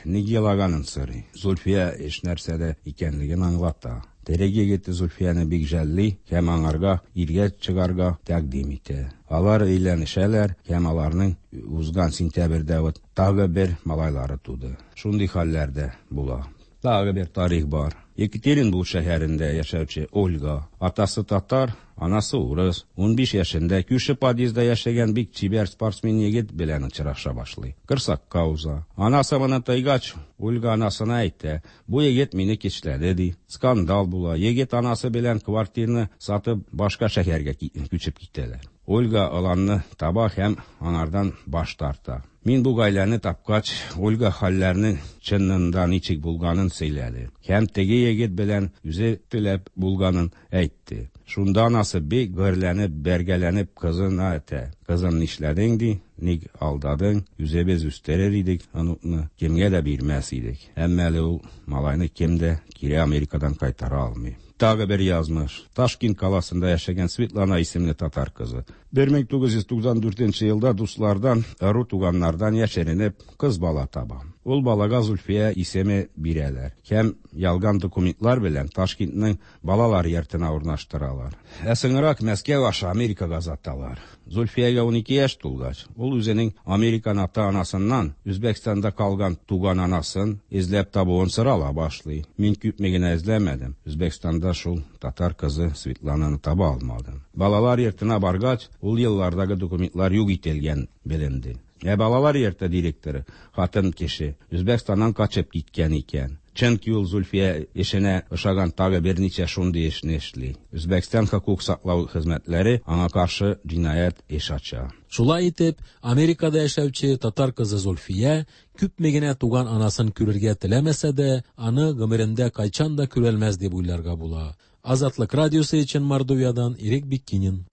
ник елаганын сорый. Зульфия эш нәрсәдә икәнлеген аңлата. Терек егете Зульфияне бик жәлли һәм аңарга иргә чыгарга тәкъдим итә. Алар өйләнешәләр һәм аларның узган сентябрьдә вот тагы бер малайлары туды. Шундый хәлләр дә була. Тагы бер тарих бар. Екатеринбург шәһәрендә яшәүче Ольга, атасы татар, анасы урыс, унбиш яшендә күрше подъездда яшәгән бик чибәр спортсмен егет белән очраша башлый. Корсакка уза. Анасы моны тойгач, Ольга анасына әйтә: "Бу егет мине кичләде", ди. Скандал була. Егет анасы белән квартираны сатып башка шәһәргә күчеп китәләр. Ольга аланны таба һәм аңардан баш тарта. Мин бу гаиләне тапкач, Ольга хәлләрнең чынында ничек булганын сөйләде. Һәм теге егет белән үзе теләп булганын әйтте. Шунда анасы бик гөрләнеп, бәргәләнеп кызына әйтә: "Кызым, нишләдең?" ди. "Ник алдадың? Үзебез үстерер идек оныкны, кемгә дә бирмәс идек." Әмма әле ул малайны кем дә кире Америкадан кайтара алмый. Тагы бер язмыш. Ташкент каласында яшәгән Светлана исемле татар кызы. бер мең тугыз йөз туксан дүртенче елда дуслардан, ыру туганнардан яшеренеп кыз бала таба. Ул балага Зульфия исеме бирәләр. Һәм ялган документлар белән Ташкентның балалар йортына урнаштыралар. Ә соңрак Мәскәү аша Америкага озаталар. Зульфиягә унике яшь тулгач, ул үзенең Американ ата-анасыннан Үзбәкстанда калган туган анасын эзләп табуын сорала башлый. Мин күпме генә эзләмәдем. Үзбәкстанда шул татар кызы Светлананы таба алмадым. Балалар йортына баргач, ул еллардагы документлар юк ителгән беленде. Ә балалар йорты директоры, хатын кеше, Үзбәкстаннан качып киткән икән. Чөнки ул Зульфия эшенә ошаган тагы берничә шундый эшне эшли. Үзбәкстан хокук саклау хезмәтләре аңа каршы җинаять эш ача. Шулай итеп, Америкада яшәүче татар кызы Зульфия күпме генә туган анасын күрергә теләмәсә дә, аны гомерендә кайчан да күрәлмәс дип уйларга була. Азатлык радиосы өчен Мордовиядан Ирек Биккинин.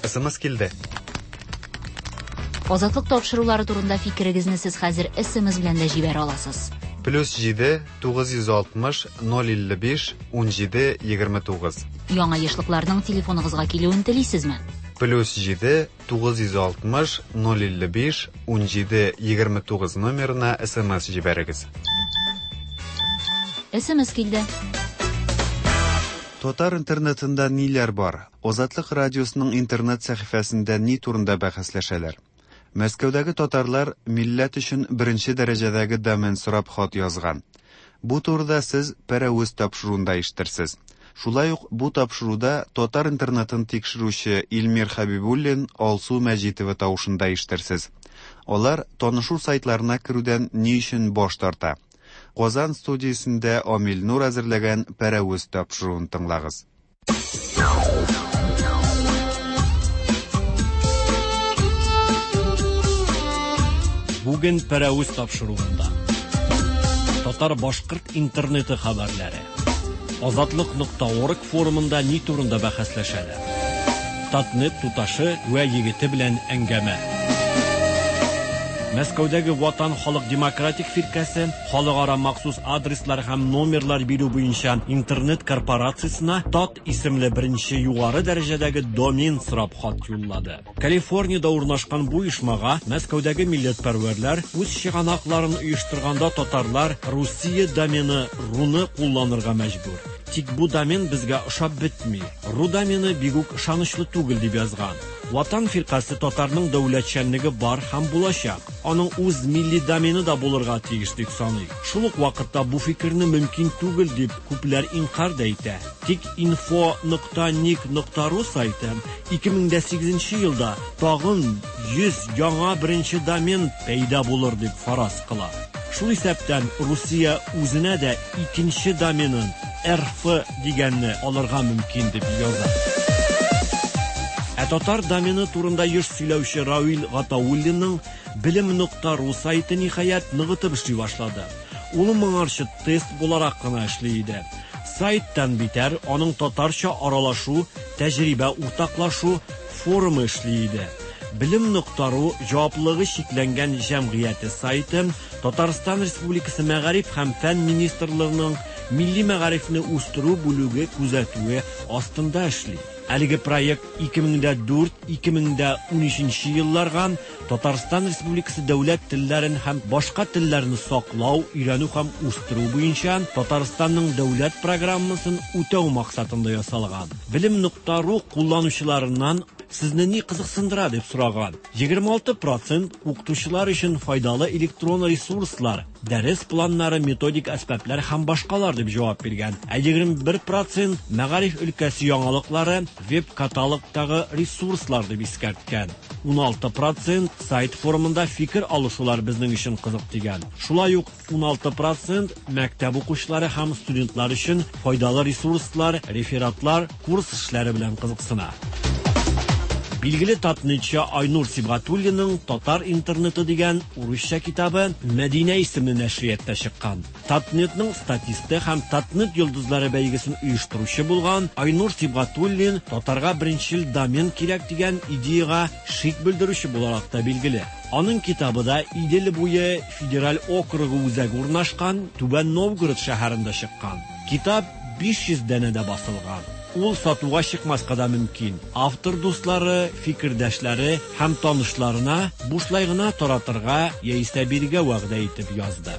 СМС килде. Азатлык тапшырулары турында фикерегезне сез хәзер СМС белән дә җибәрә аласыз. Плюс җиде тугыз йөз алтмыш ноль илле биш ун җиде егерме тугыз. Яңа ешлыкларның телефоныгызга килүен телисезме? Плюс җиде тугыз йөз алтмыш ноль илле биш ун җиде егерме тугыз номерына СМС җибәрегез. СМС килде. Татар интернетында ниләр бар? Азатлык радиосының интернет сәхифәсендә ни турында бәхәсләшәләр? Мәскәүдәге татарлар милләт өчен беренче дәрәҗәдәге домен сорап хат язган. Бу турыда сез Пәрәвез тапшыруында ишетерсез. Шулай ук бу тапшыруда татар интернетын тикшерүче Илмир Хәбибуллин, Алсу Мәҗитова тавышында ишетерсез. Алар танышу сайтларына керүдән ни өчен баш тарта? Казан студиясендә Амил Нур әзерләгән Пәрәвез тапшыруын тыңлагыз. Бүген Пәрәвез тапшыруында татар-башкорт интернеты хәбәрләре, Азатлык нокта орг форумында ни турында бәхәсләшәләр, Татнет туташы вә егете белән әңгәмә. Мәскәүдәге Ватан халык демократик фиркәсе халыкара махсус адреслар һәм номерлар бирү буенча интернет корпорациясенә Тат исемле беренче югары дәрәҗәдәге домен сорап хат юллады. Калифорниядә урнашкан бу оешмага Мәскәүдәге милләтпәрвәрләр үз чыганакларын оештырганда татарлар Русия домены руны кулланырга мәҗбүр. Тик бу домен безгә ошап бетми. Ру домены бик үк ышанычлы түгел дип язган. Ватан фиркасе татарның дәүләтчәнлеге бар һәм булачак. Аның үз милли домены да булырга тиеш дип саный. Шул ук вакытта бу фикерне мөмкин түгел дип күпләр инкар да итә. Тик инфо нокта ник нокта ру сайты ике мең дә сигезенче елда тагын йөз яңа беренче домен пәйда булыр дип фараз кыла. Шул исәптән Русия үзенә дә икенче доменын эр эф дигәнне алырга мөмкин дип яза. Ә татар домены турында еш сөйләүче Равил Гатауллинның белем нокта ру сайты ниһаять ныгытып эшли башлады. Ул моңарчы тест буларак кына эшли иде. Сайттан битәр аның татарча аралашу, тәҗрибә уртаклашу форумы эшли иде. Белем нокта ру җаваплылыгы чикләнгән җәмгыяте сайты Татарстан Республикасы Мәгариф һәм фән министрлыгының милли мәгарифне үстерү бүлеге күзәтүе астында эшли. Әлеге проект ике мең дә дүрт ике мең дә унөченче елларга Татарстан Республикасы дәүләт телләрен һәм башка телләрне саклау, өйрәнү һәм үстерү буенча Татарстанның дәүләт программасын үтәү максатында ясалган. Белем нокта ру кулланучыларыннан сезне ни кызыксындыра дип сораган. Егерме алты процент укытучылар өчен файдалы электрон ресурслар, дәрес планнары, методик әсбаплар һәм башкалар дип җавап биргән. Ә егерме бер процент мәгариф өлкәсе яңалыклары, веб-каталогтагы ресурслар дип искәрткән. Уналты процент сайт форумында фикер алышулар безнең өчен кызык дигән. Шулай ук уналты процент мәктәп укучылары һәм студентлар өчен файдалы ресурслар, рефератлар, курс эшләре белән кызыксына. Билгеле татнетчы Айнур Сибгатуллинның Татар интернеты дигән урысча китабы Мәдинә исемле нәшриятта чыккан. Татнетның статисты һәм Татнет йолдызлары бәйгесен оештыручы булган Айнур Сибгатуллин татарга беренчел домен кирәк дигән идеяга шик белдерүче буларак та билгеле. Аның китабы да Идел буе федераль округы үзәге урнашкан Түбән Новгород шәһәрендә чыккан. Китап биш йөз данәдә басылган. Ул сатуга чыкмаска да мөмкин. Автор дуслары, фикердәшләре һәм танышларына бушлай гына таратырга яисә бирергә вәгъдә итеп язды.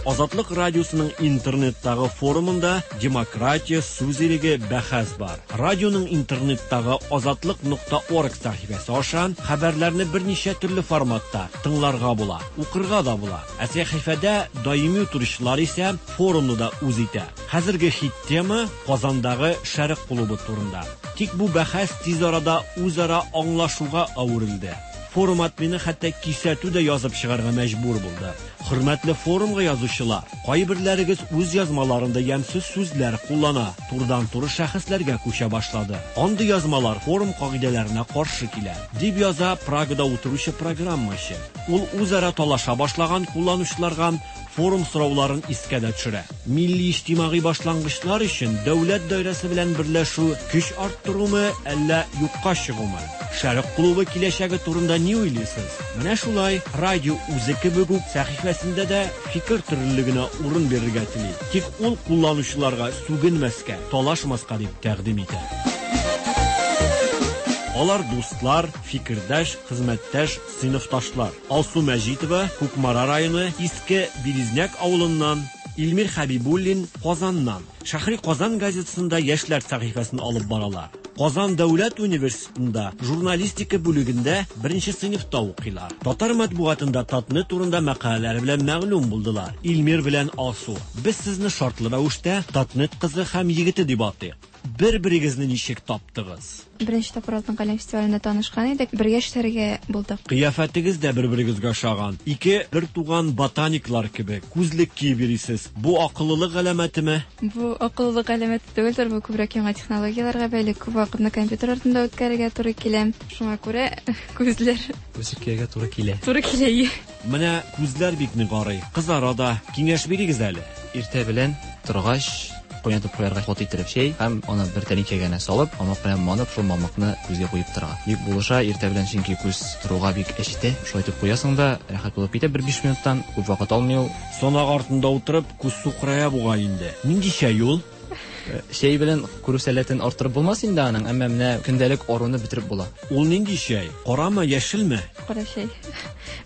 Азатлык радиосының интернеттагы форумында демократия, сүз иреге бәхәс бар. Радионың интернеттагы азатлык нокта орг сәхифәсе аша хәбәрләрне берничә төрле форматта тыңларга була, укырга да була. Ә сәхифәдә даими утыручылар исә форумны да үз итә. Хәзерге хит тема Казандагы Шәрык клубы турында. Тик бу бәхәс тиз арада үзара аңлашуга әверелде. Форум админы хәтта кисәтү дә язып чыгарга мәҗбүр булды. Хөрмәтле форумга язучылар, кайберләрегез үз язмаларында ямьсез сүзләр куллана, турыдан-туры шәхесләргә күчә башлады. Андый язмалар форум кагыйдәләренә каршы килә, дип яза Прагада утыручы программачы. Ул үзара талаша башлаган кулланучыларга форум сорауларын искә дә төшерә. Милли иҗтимагый башлангычлар өчен дәүләт даирәсе белән берләшү көч арттырумы, әллә юкка чыгумы? Шәрык клубы киләчәге турында ни уйлыйсыз? Менә шулай радио үзе кебек үк сәхифәсендә дә фикер төрлелегенә урын бирергә тели. Тик ул кулланучыларга сүгенмәскә, талашмаска дип тәкъдим итә. Алар дуслар, фикердәш, хезмәттәш, сыйныфташлар. Алсу Мәҗитова, Кукмара районы, Иске Березняк авылыннан, Илмир Хәбибуллин, Казаннан. Шәһри Казан газетасында яшьләр сәхифәсен алып баралар. Казан дәүләт университетында журналистика бүлегендә беренче сыйныфта укыйлар. Татар матбугатында Татнет турында мәкаләләре белән мәгълүм булдылар. Илмир белән Алсу, без сезне шартлы рәвештә Татнет кызы һәм егете дип атыйк. Бер-берегезне ничек таптыгыз? Беренче тапкыр Алтын каләм фестивалендә танышкан идек, бергә эшләргә булдык. Кыяфәтегез дә бер-берегезгә ошаган. Ике бер туган ботаниклар кебек күзлек киеп йөрисез. Бу акыллылык галәмәтеме? Бу акыллылык галәмәте түгелдер, бу күбрәк яңа технологияләргә бәйле. Күп вакытны компьютер артында үткәрергә туры килә. Шуңа күрә күзләр Күзлек кияргә туры килә. Туры килә. Менә күзләр бик нык арый. Кызара да. Киңәш бирегез әле. Иртә белән торгач кайнатып куярга каты иттереп чәй һәм аны бер тәлинкәгә генә салып, мамык белән манып, шул мамыкны күзгә куеп торырга. Бик булыша, иртә белән чөнки күз торуга бик әчетә. Шулай итеп куясың да, рәхәт булып китә бер биш минуттан, күп вакыт алмый ул. Санак артында утырып, күз сукырая бугай инде. Нинди чәй ул? Чәй белән күрү сәләтен арттырып булмас инде аның, әмма менә көндәлек аруны бетереп була. Ул нинди чәй? Карамы, яшелме? Кара чәй.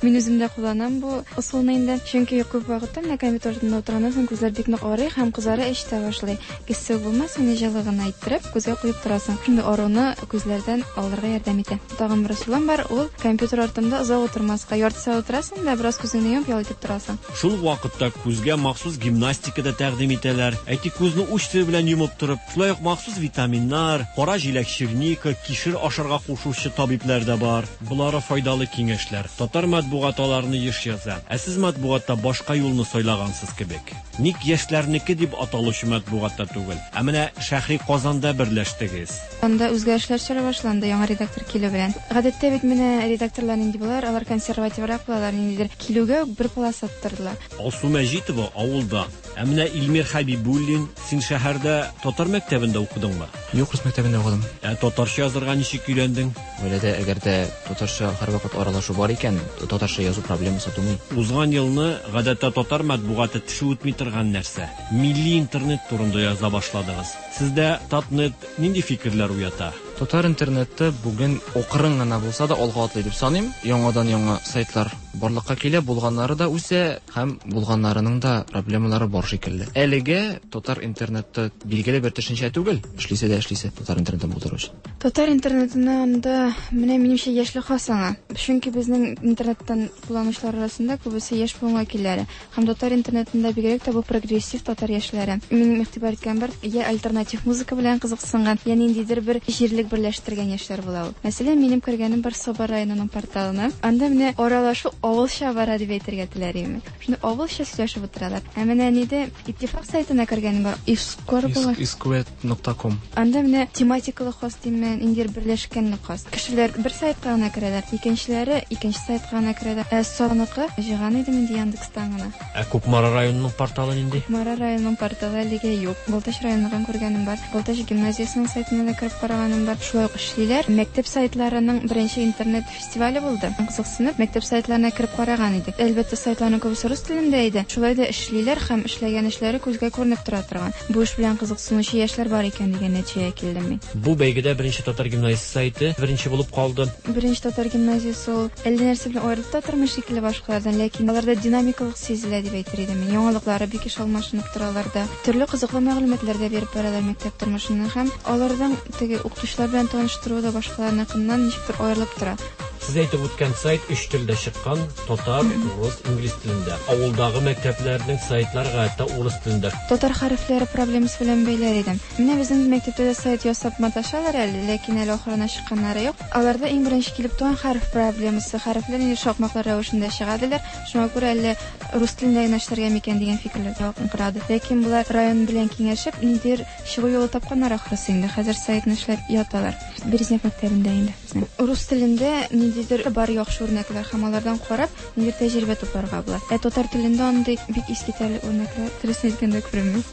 Мин үзем дә кулланам бу ысулны инде, чөнки күп вакытта менә компьютер артында утырганнан соң күзләр бик нык арый һәм кызара әчетә башлый. Эссе булмас, менә җылы гына иттереп күзгә куеп торасың. Шундый аруны күзләрдән алырга ярдәм итә. Тагын бер ысулым бар, ул компьютер артында озак утырмаска. Ярты сәгать утырасың да, бераз күзеңне йомып ял итеп торасың. Шул вакытта күзгә махсус гимнастика да тәкъдим итәләр. Әйтик, күзне уч төбе белән йомып торып, шулай ук махсус витаминнар, кара җиләк, черника, кишер ашарга кушучы табибләр дә бар. Болары файдалы киңәшләр. Татар матбугаты аларны еш яза. Ә сез матбугатта башка юлны сайлагансыз кебек. Ник яшьләрнеке дип аталучы матбугатта түгел, ә менә Шәһри Казанда берләштегез. Анда үзгәрешләр чоры башланды яңа редактор килү белән. Гадәттә бит менә редакторлар нинди булалар, алар консервативрак булалар, ниндидер килүгә үк бер полоса аттырдылар. Алсу Мәҗитова авылда. Ә менә Илмир Хәбибуллин, син шәһәрдә татар мәктәбендә укыдыңмы? Юк, рус мәктәбендә укыдым. Ә татарча язырга ничек өйрәндең? Гаиләдә әгәр дә татарча һәрвакыт аралашу бар икән, татарча язу проблемасы тумый. Узган елны гадәттә татар матбугаты теше үтми торган нәрсә. Милли интернет турында яза башладыгыз. Сездә Татнет нинди фикерләр уята? Татар интернеты бүген акрын гына булса да алга атлый дип саныйм. Яңадан яңа сайтлар барлыкка килә, булганнары да үсә һәм булганнарының да проблемалары бар шикелле. Әлегә татар интернеты билгеле бер төшенчә түгел, эшлисе дә эшлисе татар интернетын булдыру өчен. Татар интернетына анда менә минемчә яшьлек хас аңа. Чөнки безнең интернеттан кулланучылар арасында күбесе яшь буын вәкилләре. Һәм татар интернетында бигрәк тә бу прогрессив татар яшьләре. Минем игътибар иткән бар, я альтернатив музыка белән кызыксынган, я ниндидер бер җирлек берләштергән яшьләр була ул. Мәсәлән, минем кергәнем бар Саба районының порталына. Анда менә аралашу авылча бара дип әйтергә теләр идем. Шуны авылча сөйләшеп утыралар. Ә менә нидә Иттифак сайтына кергәнем бар. Искор була. Искуэт нокта ком. Анда менә тематикалы хас димән, инде берләшкәнлек хас. Кешеләр бер сайтка гына керәләр, икенчеләре икенче сайтка гына керәләр. Ә Сабаныкы җыйган идем инде Яндекстан гына. Ә Кукмара районының порталы нинди? Кукмара районының порталы әлегә юк. Балтач районыннан күргәнем бар. Балтач гимназиясенең сайтына да кереп караганым бар. Шулай ук эшлиләр. Мәктәп сайтларының беренче интернет фестивале булды. Кызыксынып, мәктәп сайтларына кереп караган идек. Әлбәттә, сайтларның күбесе рус телендә иде. Шулай да эшлиләр һәм эшләгән эшләре күзгә күренеп тора торган. Бу эш белән кызыксынучы яшьләр бар икән дигән нәтиҗәгә килдем мин. Бу бәйгедә беренче татар гимназиясе сайты беренче булып калды. Беренче татар гимназиясе ул әллә нәрсә белән аерылып та тормый шикелле башкалардан, ләкин аларда динамикалык сизелә дип әйтер идем. Яңалыклары бик еш алмашынып торалар да, төрле кызыклы мәгълүматлар да биреп баралар мәктәп тормышыннан һәм алардан теге укытучылар белән таныштыру да башкаларныкыннан ничектер аерылып тора. Сез әйтеп үткән сайт өч телдә чыккан: татар, урыс, инглиз телендә. Авылдагы мәктәпләрнең сайтлары гадәттә урыс телендә. Татар хәрефләре проблемасы белән бәйләр идем. Менә безнең мәктәптә дә сайт ясап маташалар әле, ләкин әле ахырына чыкканнары юк. Аларда иң беренче килеп туган хәреф проблемасы. Хәрефләр инде шакмаклар рәвешендә чыгадылар. Шуңа күрә әле рус телендә генә эшләргә микән дигән фикерләр якынкырады. Ләкин булар район белән киңәшеп, ниндидер чыгу юлы тапканнар ахрысы инде. Хәзер сайтны эшләп яталар. Березняк мәктәбендә инде безнең. Рус телендә ниндидер бар яхшы үрнәкләр һәм алардан карап, ниндидер тәҗрибә тупларга була. Ә татар телендә андый бик искитәрлек үрнәкләр дөресен әйткәндә күренми.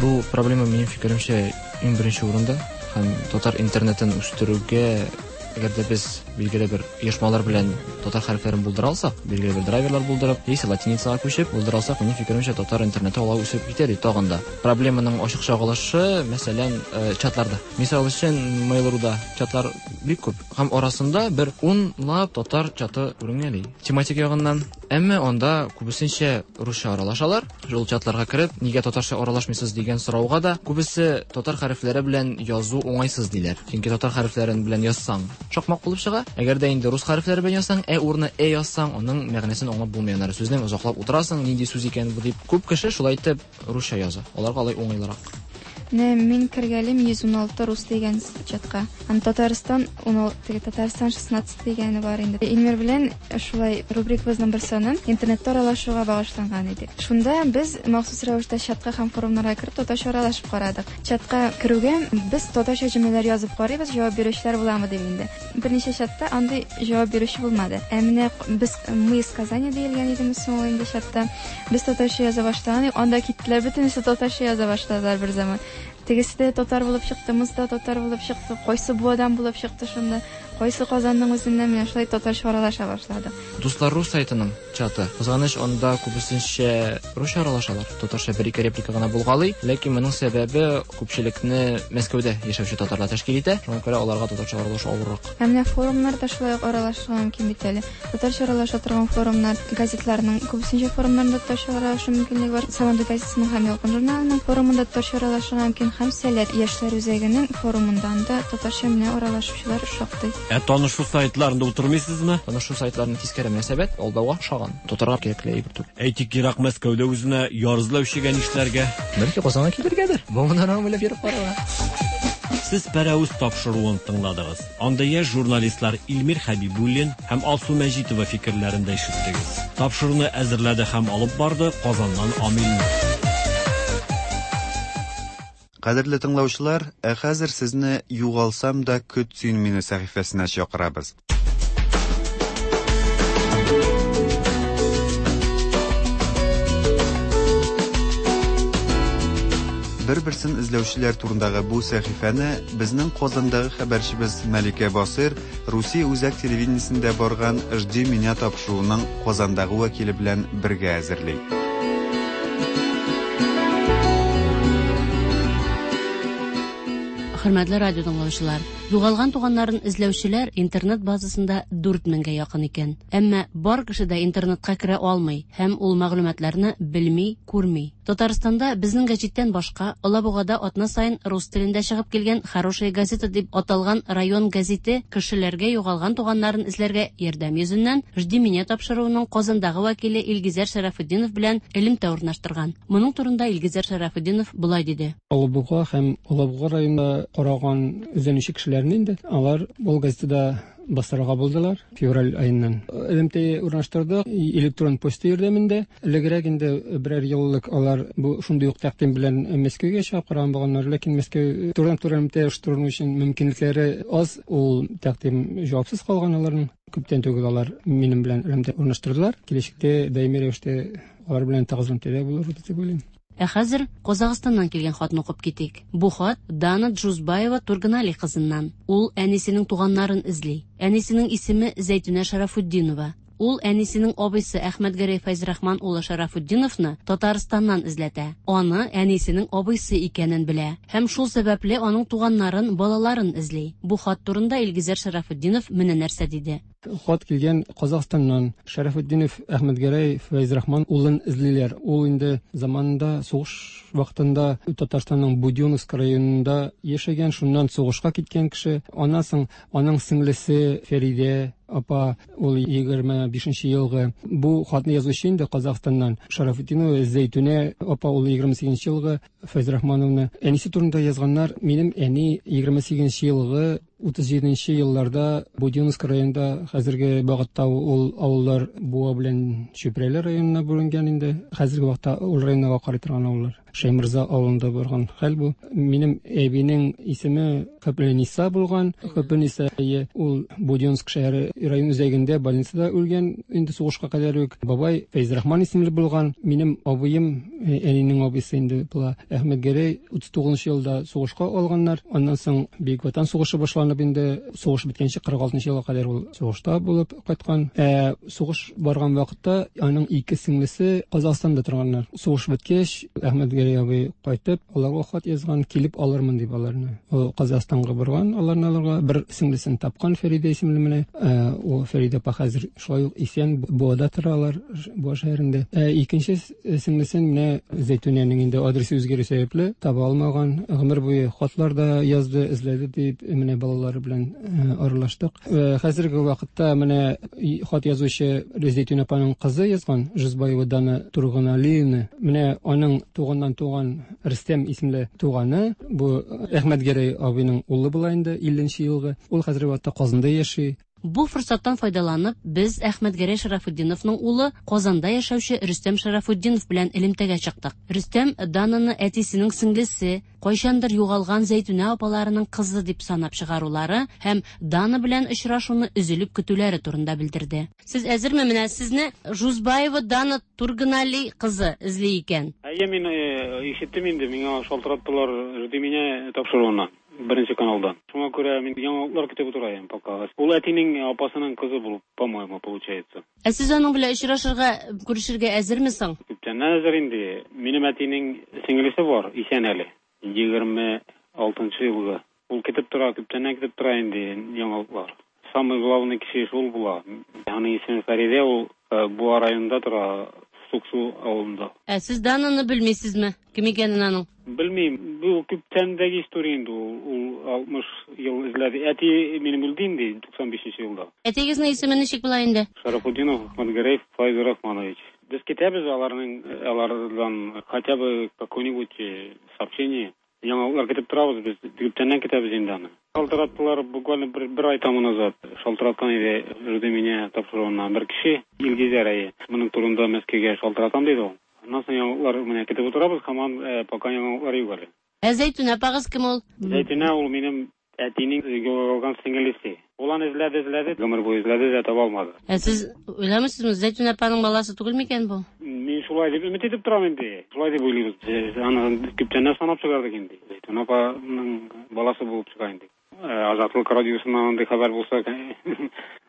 Бу проблема минем фикеремчә иң беренче урында һәм татар интернетын үстерүгә әгәр дә без билгеле бер оешмалар белән татар хәрефләрен булдыра алсак, билгеле бер драйверлар булдырып, яисә латиницага күчеп булдыра алсак, минем фикеремчә татар интернеты алга үсеп китәр иде тагын да. Проблеманың ачык чагылышы, мәсәлән, чатларда. Мисал өчен, Mail.ru'да чатлар бик күп һәм арасында бер унлап татар чаты күренгәли. Тематик ягыннан, әмма анда күбесенчә русча аралашалар. Шул чатларга кереп, нигә татарча аралашмыйсыз дигән сорауга да күбесе татар хәрефләре белән язу уңайсыз диләр. Чөнки татар хәрефләрен белән язсаң, шакмак булып чыга. Әгәр дә инде рус хәрефләре белән язсаң, ә урынына э язсаң, аның мәгънәсен аңлап булмый. Аннары сүзнең озаклап утырасың, нинди сүз икән бу дип. Күп кеше шулай итеп русча яза. Аларга алай уңайлырак. Менә мин кергәлем йөз ун алты рус дигән чатка. Аны Татарстан ун алты, Татарстан шестнадцать дигәне бар инде. Илмир белән шулай рубрикабызның бер санын интернетта аралашуга багышланган иде. Шунда без махсус рәвештә чатка һәм форумнарга кереп татарча аралашып карадык. Чатка керүгә без татарча җөмләләр язып карыйбыз, җавап бирүчеләр буламы дип инде. Берничә чатта андый җавап бирүче булмады. Ә менә без мы из Казани диелгән идеме соң ул инде чатта. Без татарча яза башлаган, анда киттеләр, бөтенесе татарча яза башладылар бер заман. Тегесе дә татар булып чыкты, мыз да татар булып чыкты, кайсы Буадан булып чыкты шунда, кайсы Казанның үзеннән менә шулай татарча аралаша башладык. Дуслар рус сайтының чаты. Кызганыч, анда күбесенчә русча аралашалар. Татарча бер-ике реплика гына булгалый, ләкин моның сәбәбе күпчелекне Мәскәүдә яшәүче татарлар тәшкил итә. Шуңа күрә аларга татарча аралашу авыррак. Ә менә форумнарда шулай ук аралашырга мөмкин бит әле. Татарча аралаша торган форумнар, газетларның күбесенчә форумнарында татарча аралашу мөмкинлеге бар. Сабантуй газетасының һәм Ялкын журналының форумында татарча аралашырга мөмкин. Һәм Сәләт яшьләр үзәгенең форумында анда татарча менә аралашучылар шактый. Ә танышу сайтларында утырмыйсызмы? Танышу сайтларының тискәре мөнәсәбәт алдауга охшаган. Татарга кирәкле әйбер түгел. Әйтик, ерак Мәскәүдә үзенә яр эзләүчегә нишләргә? Бәлки Казанга килергәдер. Бу моннан уйлап йөреп карарга. Сез Пәрәвез тапшыруын тыңладыгыз. Анда яшь журналистлар Илмир Хәбибуллин һәм Алсу Мәҗитова фикерләрен дә ишеттегез. Тапшыруны әзерләде һәм алып барды Казаннан Амил Нур. Кадерле тыңлаучылар, ә хәзер сезне Югалсам да көт син мине сәхифәсенә чакырабыз. Бер-берсен эзләүчеләр турындагы бу сәхифәне безнең Казандагы хәбәрчебез Мәликә Басыйр Русия үзәк телевидениесендә барган «Жди меня» тапшыруының Казандагы вәкиле белән бергә әзерли. Хөрмәтле радио тыңлаучылар, югалган туганнарын эзләүчеләр интернет базасында дүрт меңгә якын икән. Әмма бар кеше дә интернетка керә алмый һәм ул мәгълүматларны белми, күрми. Татарстанда безнең гәҗиттән башка Алабугада атна саен рус телендә чыгып килгән «Хорошая газета» дип аталган район гәзите кешеләргә югалган туганнарын эзләргә ярдәм йөзеннән «Жди меня» тапшыруының Казандагы вәкиле Илгизәр Шәрәфетдинов белән элемтә урнаштырган. Моның турында Илгизәр Шәрәфетдинов болай диде. Алабуга һәм Алабуга районында караган эзләнүче кешеләрне инде алар ул газетада бастырырга булдылар февраль аеннан. Элемтә урнаштырдык электрон почта ярдәмендә. Элегрәк инде берәр еллык алар бу шундый ук тәкъдим белән Мәскәүгә чыгып караган булганнар, ләкин Мәскәү турыдан-туры элемтә оештыру өчен мөмкинлекләре аз, ул тәкъдим җавапсыз калган аларның. Күптән түгел алар минем белән элемтә урнаштырдылар. Киләчәктә даими рәвештә алар белән тыгыз элемтәдә булырбыз дип уйлыйм. Ә хәзер Казахстаннан килгән хатны укып китик. Бу хат Дана Джузбаева Турганали кызыннан. Ул әнисенең туганнарын эзли. Әнисенең исеме Зәйтүнә Шарафутдинова. Ул әнисенең абыйсы Әхмәтгәрәй Фәйзрахман улы Шарафутдиновны Татарстаннан эзләтә. Аны әнисенең абыйсы икәнен белә һәм шул сәбәпле аның туганнарын, балаларын эзли. Бу хат турында Илгизәр Шарафутдинов менә нәрсә диде. Хат килгән Казахстаннан. Шарафутдинов Әхмәтгәрәй Фәйзрахман улын эзлиләр. Ул инде заманында сугыш вакытында Татарстанның Будённовск районында яшәгән, шуннан сугышка киткән кеше. Аннан соң аның сеңлесе Фәридә апа, ул егерме бишенче елгы. Бу хатны язучы инде Казахстаннан Шарафутдинова Зәйтүнә апа, ул егерме сигезенче елгы Фәйзрахмановна. Әнисе турында язганнар. Минем әни егерме сигезенче елгы утыз җиденче елларда Будённовск районында, хәзерге вакытта ул авыллар Буа белән Чүпрәле районына бүленгән инде. Хәзерге вакытта ул районга карый торган авыллар. Шәймырза авылында барган хәл бу. Минем әбинең исеме Хөппениса булган. Хөппениса ул Будённовск шәһәре район үзәгендә больницада үлгән инде сугышка кадәр үк. Бабай Фәйзрахман исемле булган. Минем абыем, әнинең абыйсы инде була, Әхмәтгәрәй утыз тугызынчы елда сугышка алганнар. Аннан соң Бөек Ватан сугышы башланып инде сугыш беткәнче кырык алтынчы елга кадәр ул сугышта булып кайткан. Ә сугыш барган вакытта аның ике сеңлесе Казахстанда торганнар. Сугыш беткәч, Әхмәтгәрәй абый кайтып, аларга хат язган, килеп алырмын дип аларны. Ул Казахстанга барган, аларны алырга бер сеңлесен тапкан, Фәридә исемле менә. Ул Фәридә апа хәзер шулай ук исән, Буада торалар, Буа шәһәрендә. Ә икенче сеңлесен менә Зәйтүнәнең инде адресы үзгәрү сәбәпле таба алмаган. Гомер буе хатлар да язды, эзләде дип менә балалары белән аралаштык. Хәзерге вакытта менә хат язучы Зәйтүнә апаның кызы язган, Жузбаева Дана Турганалиевна. Менә аның туганнан туган Рөстәм исемле туганы, бу Әхмәтгәрәй абыйның улы була инде, илленче елгы. Ул хәзерге вакытта Казанда яши. Бу форсаттан файдаланып, без Әхмәтгәрәй Шарафутдиновның улы Казанда яшәүче Рөстәм Шарафутдинов белән элемтәгә чыктык. Рөстәм Дананы әтисенең сеңлесе, кайчандыр югалган Зәйтүнә апаларының кызы дип санап чыгарулары һәм Дана белән очрашуны өзелеп көтүләре турында белдерде. Сез әзерме? Менә сезне Жузбаева Дана Турганали кызы эзли икән. Әйе, мин ишеттем инде, миңа шалтыраттылар «Жди меня» тапшыруына. Беренче каналдан. Шуңа күрә мин яңалыклар көтеп утырайым пока. Ул әтинең апасының кызы булып, по-моему, получается. Ә сез аның белән очрашырга, күрешергә әзерме соң? Күптәннән әзер инде. Минем әтинең сеңлесе бар, исән әле. Егерме алтынчы елгы. Ул көтеп тора, күптәннән көтеп тора инде яңалыклар. Самый главный кеше шул була. Аның исеме Фәридә, ул Буа районында тора, Суксу авылында. Ә сез Дананы белмисезме? Кем икәнен аның? Белмим. Бу күптәндәге история инде ул. Ул алтмыш ел эзләде. Әти минем үлде инде туксан бишенче елда. Әтигезнең исеме ничек була инде? Шарафутдинов Әхмәтгәрәй Фәйзрахманович. Без көтәбез аларның, алардан хотя бы какое-нибудь сообщение. Яңалыклар көтеп торабыз без. Күптәннән көтәбез инде аны. Шалтыраттылар буквально бер, бер ай тому назад. Шалтыраткан иде «Жди меня» тапшыруыннан бер кеше, Илгизәр әйе. Моның турында Мәскәүгә шалтыратам диде ул. Аннан соң яңалыклар менә көтеп утырабыз, һаман пока яңалыклар юк әле. Ә Зәйтүнә апагыз кем ул? Зәйтүнә ул минем әтинең югалган сеңлесе. Ул аны эзләде, эзләде, гомер буе эзләде дә таба алмады. Ә сез уйламыйсызмы, Зәйтүнә апаның баласы түгел микән бу? Мин шулай дип өмет итеп торам инде. Шулай дип уйлыйбыз. Без аны күптәннән санап чыгардык инде. Зәйтүнә апаның баласы булып чыга инде. Азатлык радиосыннан андый хәбәр булса,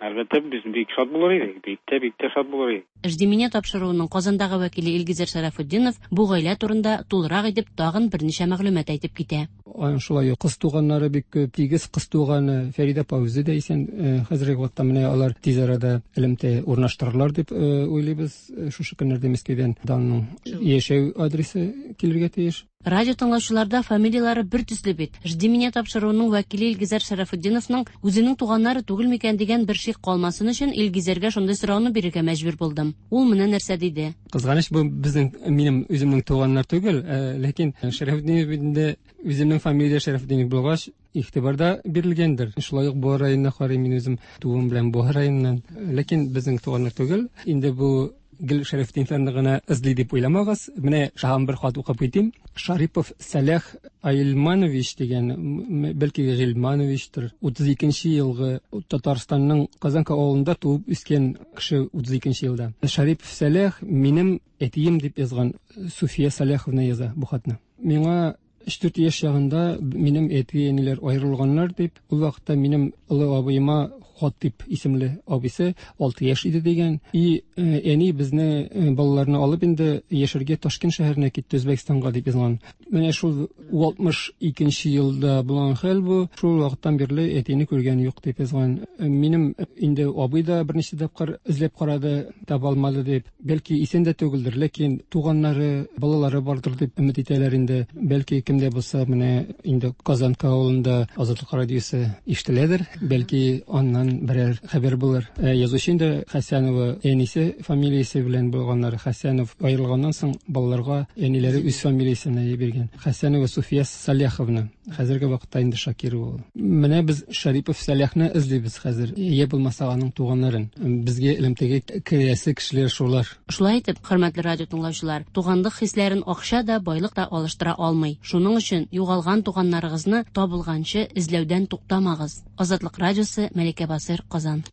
әлбәттә, без бик шат булыр идек, бик тә, бик тә шат булыр идек. Жди меня тапшыруының Казандагы вәкиле Илгизәр Шәрәфетдинов бу гаилә турында тулырак итеп тагын берничә мәгълүмат әйтеп китә. Аның шулай ук кыз туганнары бик күп, тигез кыз туганы Фәридә апа үзе дә исән. Хәзерге вакытта менә алар тиз арада элемтә урнаштырырлар дип уйлыйбыз. Шушы көннәрдә Мәскәүдән Данның яшәү адресы килергә тиеш. Радио тыңлаучыларда фамилиялары бер төсле бит. Жди меня тапшыруының вәкиле Илгизәр Шәрәфетдиновның үзенең туганнары түгел микән дигән бер шик калмасын өчен Илгизәргә шундый сорауны бирергә мәҗбүр булдым. Ул менә нәрсә диде. Кызганыч, бу безнең, минем үземнең туганнар түгел, ләкин Шәрәфетдинов инде үземнең фамилия Шәрәфетдинов булгач, игътибарда бирелгәндер. Шулай ук Буа районына карыйм, мин үзем туым белән Буа районыннан. Ләкин безнең туганнар түгел. Инде бу гел Шәрәфетдиновларны гына эзли дип уйламагыз. Менә шагын бер хат укып китим. Шарипов Сәләх Айлманович дигән, бәлки Гыйльмановичтыр, утыз икенче елгы Татарстанның Казанка авылында туып үскән кеше, утыз икенче елда. Шарипов Сәләх минем әтием дип язган Суфия Сәләховна яза бу хатны. Миңа өч-дүрт яшь чагында минем әти-әниләр аерылганнар дип, ул вакытта минем олы абыема Хатип исемле абыйсы алты яшь иде дигән. И әни безне балаларны алып инде яшәргә Ташкент шәһәренә китте, Үзбәкстанга дип язган. Менә шул алтмыш икенче елда булган хәл бу. Шул вакыттан бирле әтине күргән юк дип язган. Минем инде абый да берничә тапкыр эзләп карады, таба алмады дип. Бәлки исән дә түгелдер, ләкин туганнары, балалары бардыр дип өмет итәләр инде. Бәлки кемдә булса, менә инде Казанка авылында Азатлык радиосы ишетеләдер, бәлки аннан берәр хәбәр булыр. Язучы инде Хәсәнова әнисе фамилиясе белән булганнар. Хәсәнов аерылганнан соң балаларга әниләре үз фамилиясен биргән. Хәсәнова Суфия Саляховна. Хәзерге вакытта инде Шакирова ул. Менә без Шарипов Сәләхне эзлибез хәзер. Йә булмаса аның туганнарын. Безгә элемтәгә керәсе кешеләр шулар. Шулай итеп, хөрмәтле радио тыңлаучылар, туганлык хисләрен акча да, байлык та алыштыра алмый. Шуның өчен югалган туганнарыгызны табылганчы эзләүдән туктамагыз. Азатлык радиосы, Мәликә Басыр, Казан.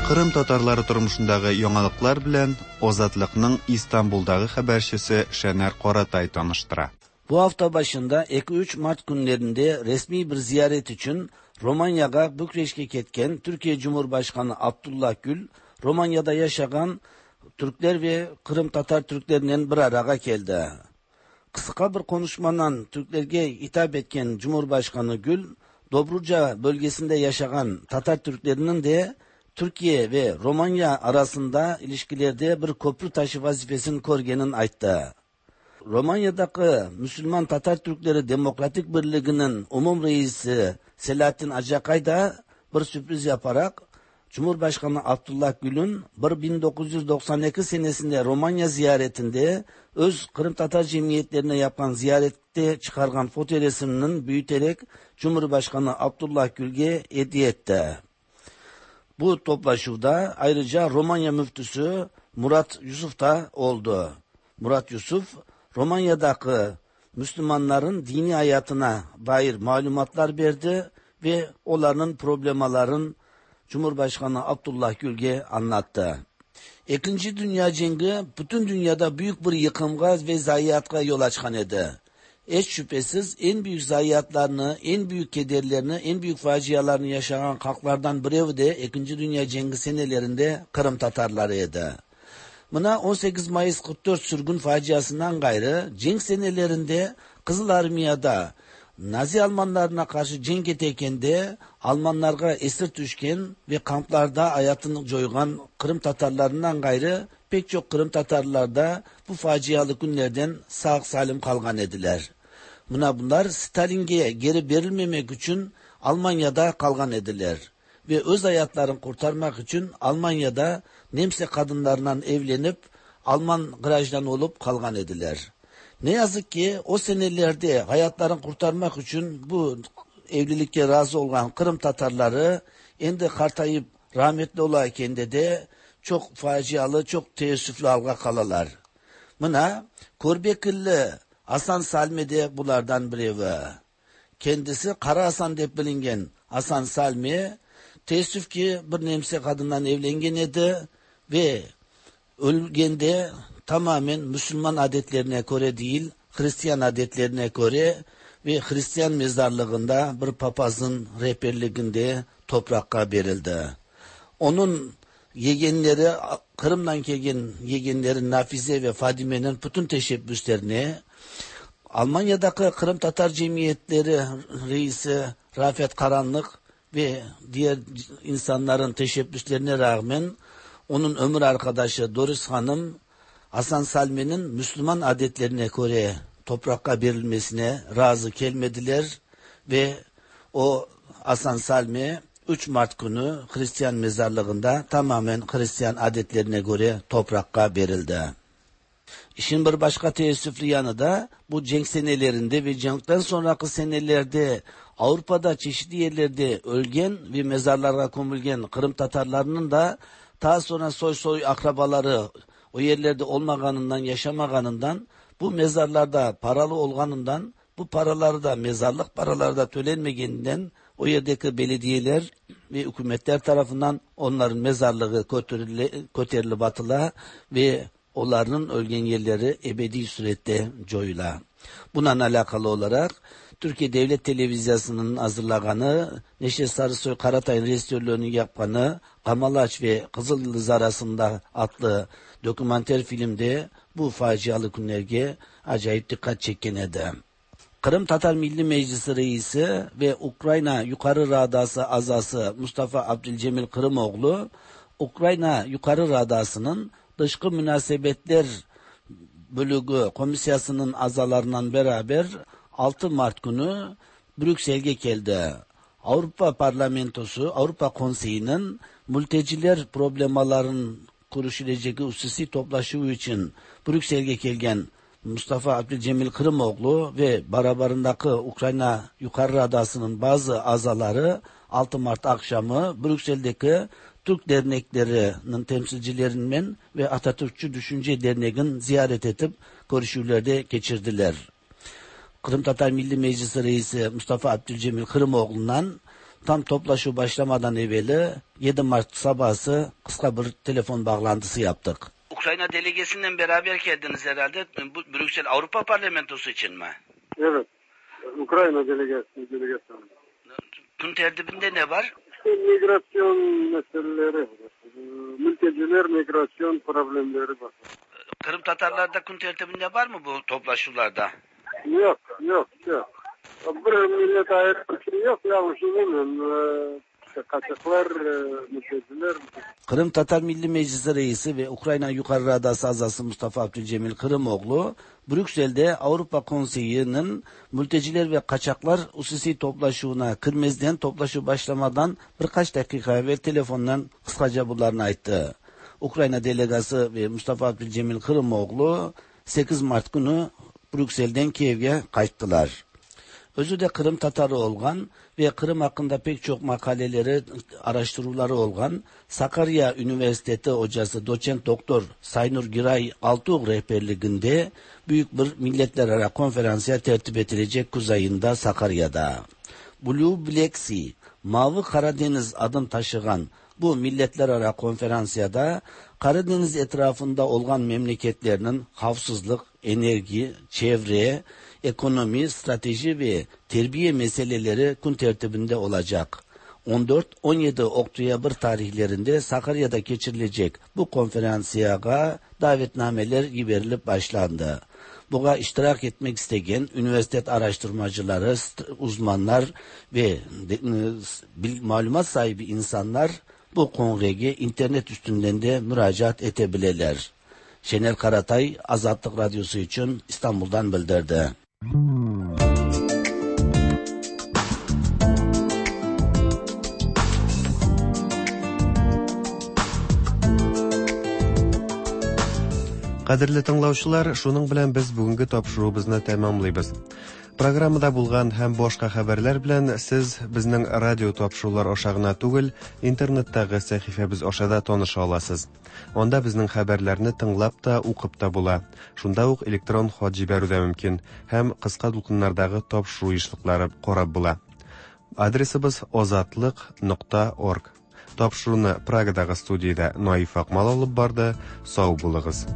Кырым татарлары тормышындагы яңалыклар белән Азатлыкның Истанбулдагы хәбәрчесе Шәнәр Каратай таныштыра. Bu hafta başında iki üç Mart günlerinde resmi bir ziyaret için Romanya'ya Bükreş'e ketken Türkiye Cumhurbaşkanı Abdullah Gül, Romanya'da yaşayan Türkler ve Kırım Tatar Türklerinden bir araya geldi. Kısa bir konuşmadan Türklerge hitap etken Cumhurbaşkanı Gül, Dobruca bölgesinde yaşayan Tatar Türklerinin de Türkiye ve Romanya arasında ilişkilerde bir köprü taşı vazifesini körgenin ayttı. Romanya'daki Müslüman Tatar Türkleri Demokratik Birliği'nin umum reisi Selahattin Acakay da bir sürpriz yaparak Cumhurbaşkanı Abdullah Gül'ün bin dokuz yüz doksan iki senesinde Romanya ziyaretinde öz Kırım Tatar cemiyetlerine yapan ziyarette çıkargan fotoresiminin büyüterek Cumhurbaşkanı Abdullah Gül'e hediye etti. Bu toplaşuvda ayrıca Romanya müftüsü Murat Yusuf da oldu. Murat Yusuf, Romanya'daki Müslümanların dini hayatına dair malumatlar verdi ve onların problemaların Cumhurbaşkanı Abdullah Gül'e anlattı. İkinci Dünya Cengi bütün dünyada büyük bir yıkımga ve zayiatga yol açkan edi. Hiç şüphesiz en büyük zayiatlarını, en büyük kederlerini, en büyük facialarını yaşayan halklardan biri de İkinci Dünya Cengi senelerinde Kırım Tatarları idi. Buna on sekiz Mayıs kırk dört sürgün faciasından gayrı cenk senelerinde Kızıl Armiya'da Nazi Almanlarına karşı cenk eteken de Almanlarga esir düşken ve kamplarda hayatını coygan Kırım Tatarlarından gayrı pek çok Kırım Tatarlar da bu facialı günlerden sağ salim kalgan ediler. Buna bunlar Stalin'e geri verilmemek için Almanya'da kalgan ediler. Ve öz hayatlarını kurtarmak için Almanya'da Nemse kadınlarından evlenip Alman grajdan olup kalgan ediler. Ne yazık ki o senelerde hayatlarını kurtarmak için bu evlilikke razı olan Kırım Tatarları endi qartayıp rahmetli olarken de çok facialı, çok teessüflü alga kalalar. Mına Körbekilli Hasan Salmi de bulardan birevi. Kendisi Kara Hasan dep bilingen Hasan Salmi teessüf ki bir nemse kadından evlengen edi ve ölgende tamamen Müslüman adetlerine göre değil, Hristiyan adetlerine göre ve Hristiyan mezarlığında bir papazın rehberliğinde toprakka verildi. Onun yegenleri, Kırım'dan kelgen yegenleri Nafize ve Fadime'nin bütün teşebbüslerini Almanya'daki Kırım Tatar Cemiyetleri reisi Rafet Karanlık ve diğer insanların teşebbüslerine rağmen onun ömür arkadaşı Doris Hanım Hasan Salmi'nin Müslüman adetlerine göre toprakka verilmesine razı gelmediler ve o Hasan Salmi üç Mart günü Hristiyan mezarlığında tamamen Hristiyan adetlerine göre toprakka verildi. İşin bir başka teessüflü yanı da bu cenk senelerinde ve cenkten sonraki senelerde Avrupa'da çeşitli yerlerde ölgen ve mezarlara konulgen Kırım Tatarlarının da daha sonra soy soy akrabaları o yerlerde olmaganından, yaşamaganından, bu mezarlarda paralı olganından, bu paraları da mezarlık paraları da tölenmegeninden o yerdeki belediyeler ve hükümetler tarafından onların mezarlığı köterilip atıla ve onların ölgen yerleri ebedi surette coyula. Bununla alakalı olarak Türkiye Devlet Televizyonu'nun hazırlaganı, Neşet Sarısoy Karatay'ın rejisörlüğünü yapkanı Kamalaç ve Kızıl Yıldız arasında adlı dokümanter filmde bu facialı günlerge acayip dikkat çeken edi. Kırım Tatar Milli Meclisi Reisi ve Ukrayna Yukarı Radası azası Mustafa Abdülcemil Kırımoğlu, Ukrayna Yukarı Radası'nın Dışkı Münasebetler Bölüğü Komisyası'nın azalarından beraber altı Mart günü Brüksel'e geldi. Avrupa Parlamentosu, Avrupa Konseyi'nin mülteciler problemaların görüşülecek hususi toplaşığı için Brüksel'e gelgen Mustafa Abdülcemil Kırımoğlu ve beraberindeki Ukrayna Yukarı Radası'nın bazı azaları altı Mart akşamı Brüksel'deki Türk derneklerinin temsilcilerinden ve Atatürkçü Düşünce Derneği'nin ziyaret edip görüşülerde geçirdiler. Kırım Tatar Milli Meclisi Reisi Mustafa Abdülcemil Kırımoğlu'ndan tam toplaşı başlamadan evveli yedi Mart sabahı kısa bir telefon bağlantısı yaptık. Ukrayna delegesinden beraber geldiniz herhalde. Bu Brüksel Avrupa Parlamentosu için mi? Evet. Ukrayna delegesi, delegesi. Gün tertibinde ne var? İşte migrasyon meseleleri, mülteciler migrasyon problemleri var. Kırım Tatarlarda gün tertibinde var mı bu toplaşılarda? Yok, yok, yok. Bir millet ayrı bir şey yok. Ya düşünemiyorum. Kaçaklar, mülteciler. Kırım Tatar Milli Meclisi Reisi ve Ukrayna Yukarı Radası azası Mustafa Abdülcemil Kırımoğlu, Brüksel'de Avrupa Konseyi'nin mülteciler ve kaçaklar hususi toplaşığına kirmezden toplaşı başlamadan birkaç dakika evvel telefondan kısaca bunlarını ayttı. Ukrayna delegası ve Mustafa Abdülcemil Kırımoğlu sekiz Mart günü Brüksel'den Kiev'e kaçtılar. Özü de Kırım Tatarı olgan ve Kırım hakkında pek çok makaleleri, araştırmaları olgan Sakarya Üniversitesi hocası doçent doktor Saynur Giray Altuğ rehberliğinde büyük bir milletler ara konferansiya tertip edilecek kuzeyinde Sakarya'da. Blue Black Sea, Mavi Karadeniz adını taşıyan bu milletler ara konferansiyada Karadeniz etrafında olan memleketlerinin havsızlık, enerji, çevre, ekonomi, strateji ve terbiye meseleleri gün tertibinde olacak. on dört on yedi Oktober tarihlerinde Sakarya'da geçirilecek bu konferansiya davetnameler verilip başlandı. Buna iştirak etmek isteyen üniversite araştırmacıları, uzmanlar ve malumat sahibi insanlar bu kongreye internet üstünden de müracaat edebilirler. Şener Karatay, Azatlık Radyosu için İstanbul'dan bildirdi. Кадерле тыңлаучылар, шуның белән без бүгенге тапшыруыбызны тәмамлыйбыз. Программада булган һәм башка хәбәрләр белән сез безнең радио тапшырулар аша гына түгел, интернеттагы сәхифәбез аша да таныша аласыз. Анда безнең хәбәрләрне тыңлап та, укып та була. Шунда ук электрон хат җибәрү дә мөмкин һәм кыска дулкыннардагы тапшыру ешлыклары карап була. Адресыбыз озатлык нокта орг. Тапшыруны Прагадагы студиядә Наиф Акмал алып барды. Сау булыгыз.